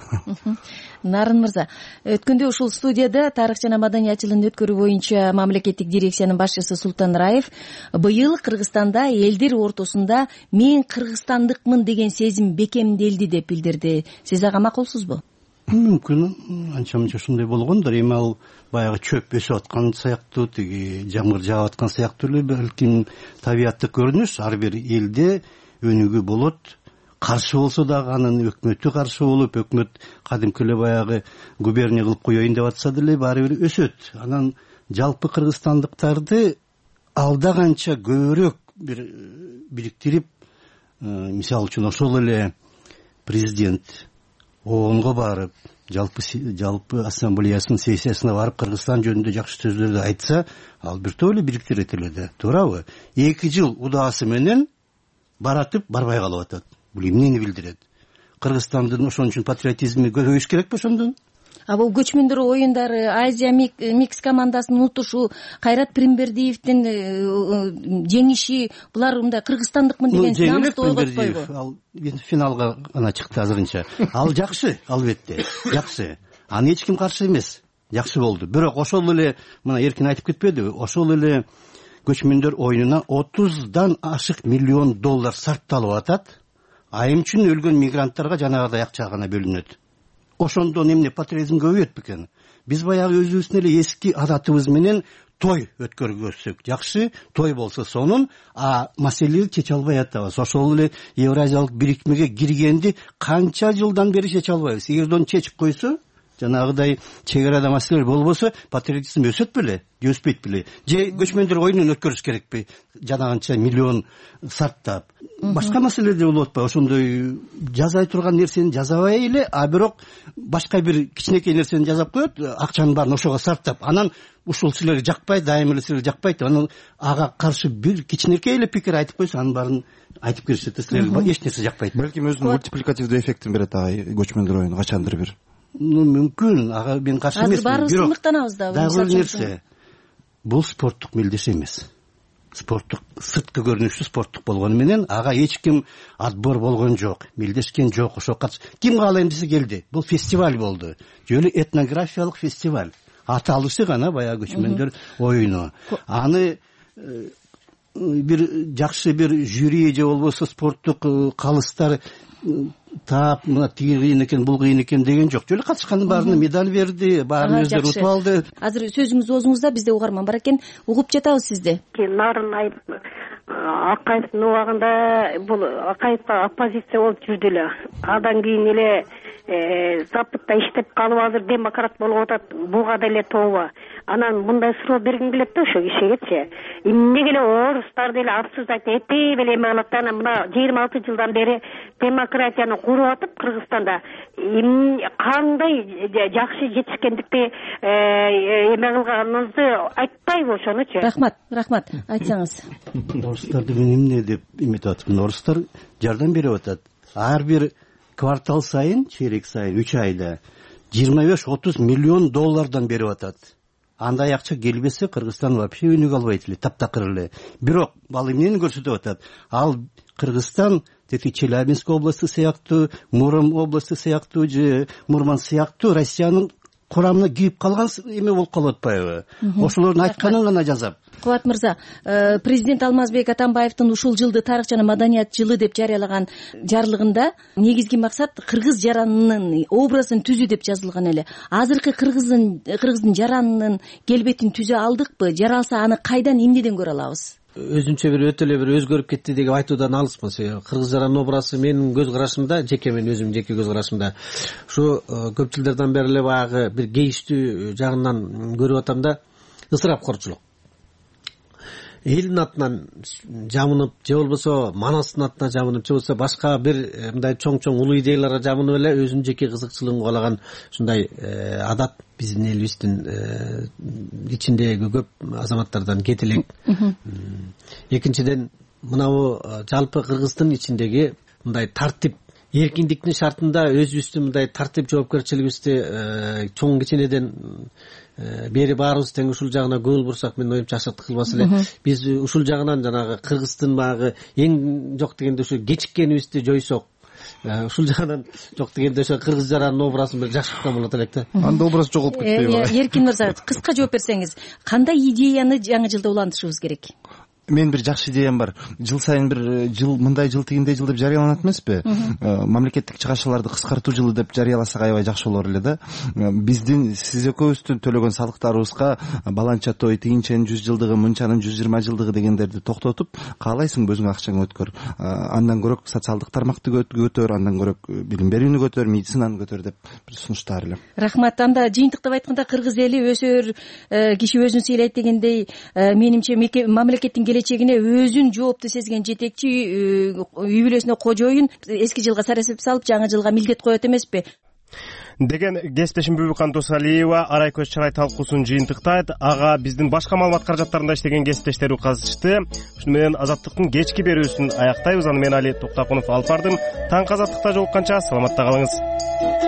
Нарын мырза, өткөндө ушул студияда тарых жана маданият жылын өткөрүү боюнча мамлекеттик дирекциянын башчысы Султан Раев быйыл Кыргызстанда элдер ортосунда мен кыргызстандыкмын деген сезим бекемделди деп билдирди. Сиз ага макулсузбу? Мүмкүн анча мынча ушундай болгондур. Эми ал баягы чөп өсүп аткан сыяктуу, тиги жамгыр жаап аткан сыяктуу эле балким табияттык көрүнүш. Ар бир элде өнүгүү болот. Каршы болсо дагы анын өкмөтү каршы болуп, өкмөт кадимки эле баягы губерния кылып коеюн деп атса деле баары бир өсөт. Анан жалпы кыргызстандыктарды алда канча көбүрөөк бир бириктирип, мисалы үчүн ошол эле президент ООНго барып, жалпы ассамблеясынын сессиясына барып Кыргызстан жөнүндө жакшы сөздөрдү айтса, ал бир топ эле бириктирет эле да, туурабы? 2 жыл удаасы менен баратып барбай калып атат. Бул эмнени билдирет? Кыргызстандын ошон үчүн патриотизми көбөйүш керекпи ошондон? Бул көчмөндөр оюндары, Азия микс командасынын утушу, Кайрат Пиримбердиевдин жеңиши, булар мындай кыргызстандыкмын деген намысты ойготпойбу? Ал финалга гана чыкты азырынча. Ал жакшы, албетте, жакшы. Аны эч ким каршы эмес. Жакшы болду. Бирок ошол эле мына эркин айтып кетпедиби? Ошол эле көчмөндөр оюнуна 30дан ашык миллион доллар сарпталып атат. Айым үчүн өлгөн мигранттарга жанагыдай акча гана бөлүнөт. Ошондон эмне патриотизм көбөйөт бекен? Биз баягы өзүбүздүн эле эски адатыбыз менен той өткөргөзсөк жакшы, той болсо сонун, маселени чече албай атабыз. Ошол эле Евразиялык бирикмеге киргенди канча жылдан бери чече албайбыз. Эгерден чечип койсо, жанагыдай чек арада маселелер болбосо, патриотизм өсөт беле, өспөйт беле? Же көчмөндөр оюнун өткөрүш керекпи? Жанагынча миллион сарптап. Башка маселелер болуп атпайбы? Ошондой жазай турган нерсени жазабай эле, бирок башка бир кичинекей нерсени жазап коет, акчанын баарын ошого сарптап. Анан ушул силерге жакпайт, дайыма эле силерге жакпайт. Анан ага каршы бир кичинекей эле пикир айтып койсо, анын баарын айтып беришет. Силерге эч нерсе жакпайт. Балким өзүнүн мультипликативдүү эффектин берет көчмөндөр оюну качандыр бир. Мүмкүн, ага мен каршы эмесмин. Азыр баарыбыз сындыктанабыз да. Дагы бир нерсе. Бул спорттук мелдеш эмес. Спорттук, сырткы көрүнүштүү спорттук болгону менен ага эч ким отбор болгон жок, мелдешкен жок. Ошо ким каалайм десе келди. Бул фестиваль болду. Жөлү этнографиялык фестиваль. Аталышы гана баягы көчмөндөр оюну. Аны бир жакшы бир жюри же болбосо спорттук калыстар таап, мына тиги кыйын экен, бул кыйын экен деген жок. Жөлү катышкандын баарына медаль берди, баарын өздөрү утуп алды. Азыр сөзүңүз оозуңузда, бизде угарман бар экен, угуп жатабыз сизди. Нарын Акаевдин убагында бул Акаевка оппозиция болуп жүрдү эле. Андан кийин эле Западта иштеп калып азыр демократ болуп атат. Буга деле тооба. Анан мындай суроо бергим келет да ошо кишигечи. Эмнеге эле орустар деле обсуждать этпей эле эме кылат да, анан мына 26 жылдан бери демократияны куруп атып Кыргызстанда кандай жакшы жетишкендикти эме кылганыңызды айтпайбы ошонучу? Рахмат, айтсаңыз. Орустарды мен эмне деп эметип атам? Орустар жардам берип атат. Ар бир квартал сайын, чейрек сайын 3 айда 25-30 миллион доллардан берип атат. Андай акча келбесе Кыргызстан вообще өнүгө албайт эле, таптакыр эле. Бирок ал эмнени көрсөтүп атат? Ал Кыргызстан тетиги Челябинск областы сыяктуу, Муром областы сыяктуу же Мурманск сыяктуу Россиянын курамына кирип калган эме болуп калып атпайбы? Ошолордун айтканын гана жазап. Кубат мырза, президент Алмазбек Атамбаевдин ушул жылды тарых жана маданият жылы деп жарыялаган жарлыгында негизги максат кыргыз жаранынын образын түзүү деп жазылган эле. Азыркы кыргыздын жаранынын келбетин түзө алдыкпы? Жаралса аны кайдан, эмнеден көрө алабыз? Өзүнчө өтө эле өзгөрүп кетти деп айтуудан алыспын. Кыргыз жаранын образы менин көз карашымда, мен өзүм жеке көз карашымда ушу көп жылдардан бери эле баягы бир кейиштүү жагынан көрүп атам да, ысырапкорчулук. Элдин атынан жамынып, же болбосо Манастын атынан жамынып, же болбосо башка бир мындай чоң улуу идеяларга жамынып эле өзүнүн жеке кызыкчылыгын каалаган ушундай адат биздин элибиздин ичиндеги көп азаматтардан кете элек. Экинчиден, мынабу жалпы Кыргыздын ичиндеги мындай тартип, эркиндиктин шартында өзүбүздүн мындай тартип жоопкерчилигибизди чоң кичинеден бери баарыбыз тең ушул жагына көңүл бурсак, мен оюмча ашыктык кылбас эле. Биз ушул жагынан жанагы Кыргыздын баягы эң жок дегенде ушу кечиккенибизди жойсок, ушул жагынан жок дегенде ошо кыргыз жаранын образын бир жакшырткан болот элек да. Анда образ жоголуп кетпейби? Эркин мырза, кыска жооп берсеңиз, кандай идеяны жаңы жылда улантышыбыз керек? Мен бир жакшы идеям бар. Жыл сайын бир жыл мындай жыл тигиндей жыл деп жарыяланат эмеспи? Мамлекеттик чыгашаларды кыскартуу жылы деп жарыяласак аябай жакшы болор эле да. Биздин сиз экөөбүздүн төлөгөн салыктарыбызга баланча той, тигинченин 100 жылдыгы, мынчанын 120 жылдыгы дегендерди токтотуп, каалайсың өзүң акчаң өткөр. Андан көрөк социалдык тармакты көтөр, андан көрөк билим берүүнү көтөр, медицинаны көтөр деп бир сунуштар эле. Рахмат. Анда жыйынтыктап айтканда, кыргыз эли өсөр киши өзүн сыйлайт дегендей, менимче мамлекеттин келечегине өзүн жоопту сезген жетекчи, үй бүлөсүнө кожоюн эски жылга сарасеп салып, жаңы жылга милдет коет эмеспи деген кесиптешим Бүбүкан Досалиева арай көз чарай талкуусун жыйынтыктайт. Ага биздин башка маалымат каражаттарында иштеген кесиптештери катышты. Ушуну менен Азаттыктын кечки берүүсүн аяктайбыз. Аны мен Али Токтакунов алып бардым. Таң Азаттыкта жолукканча саламатта калыңыз.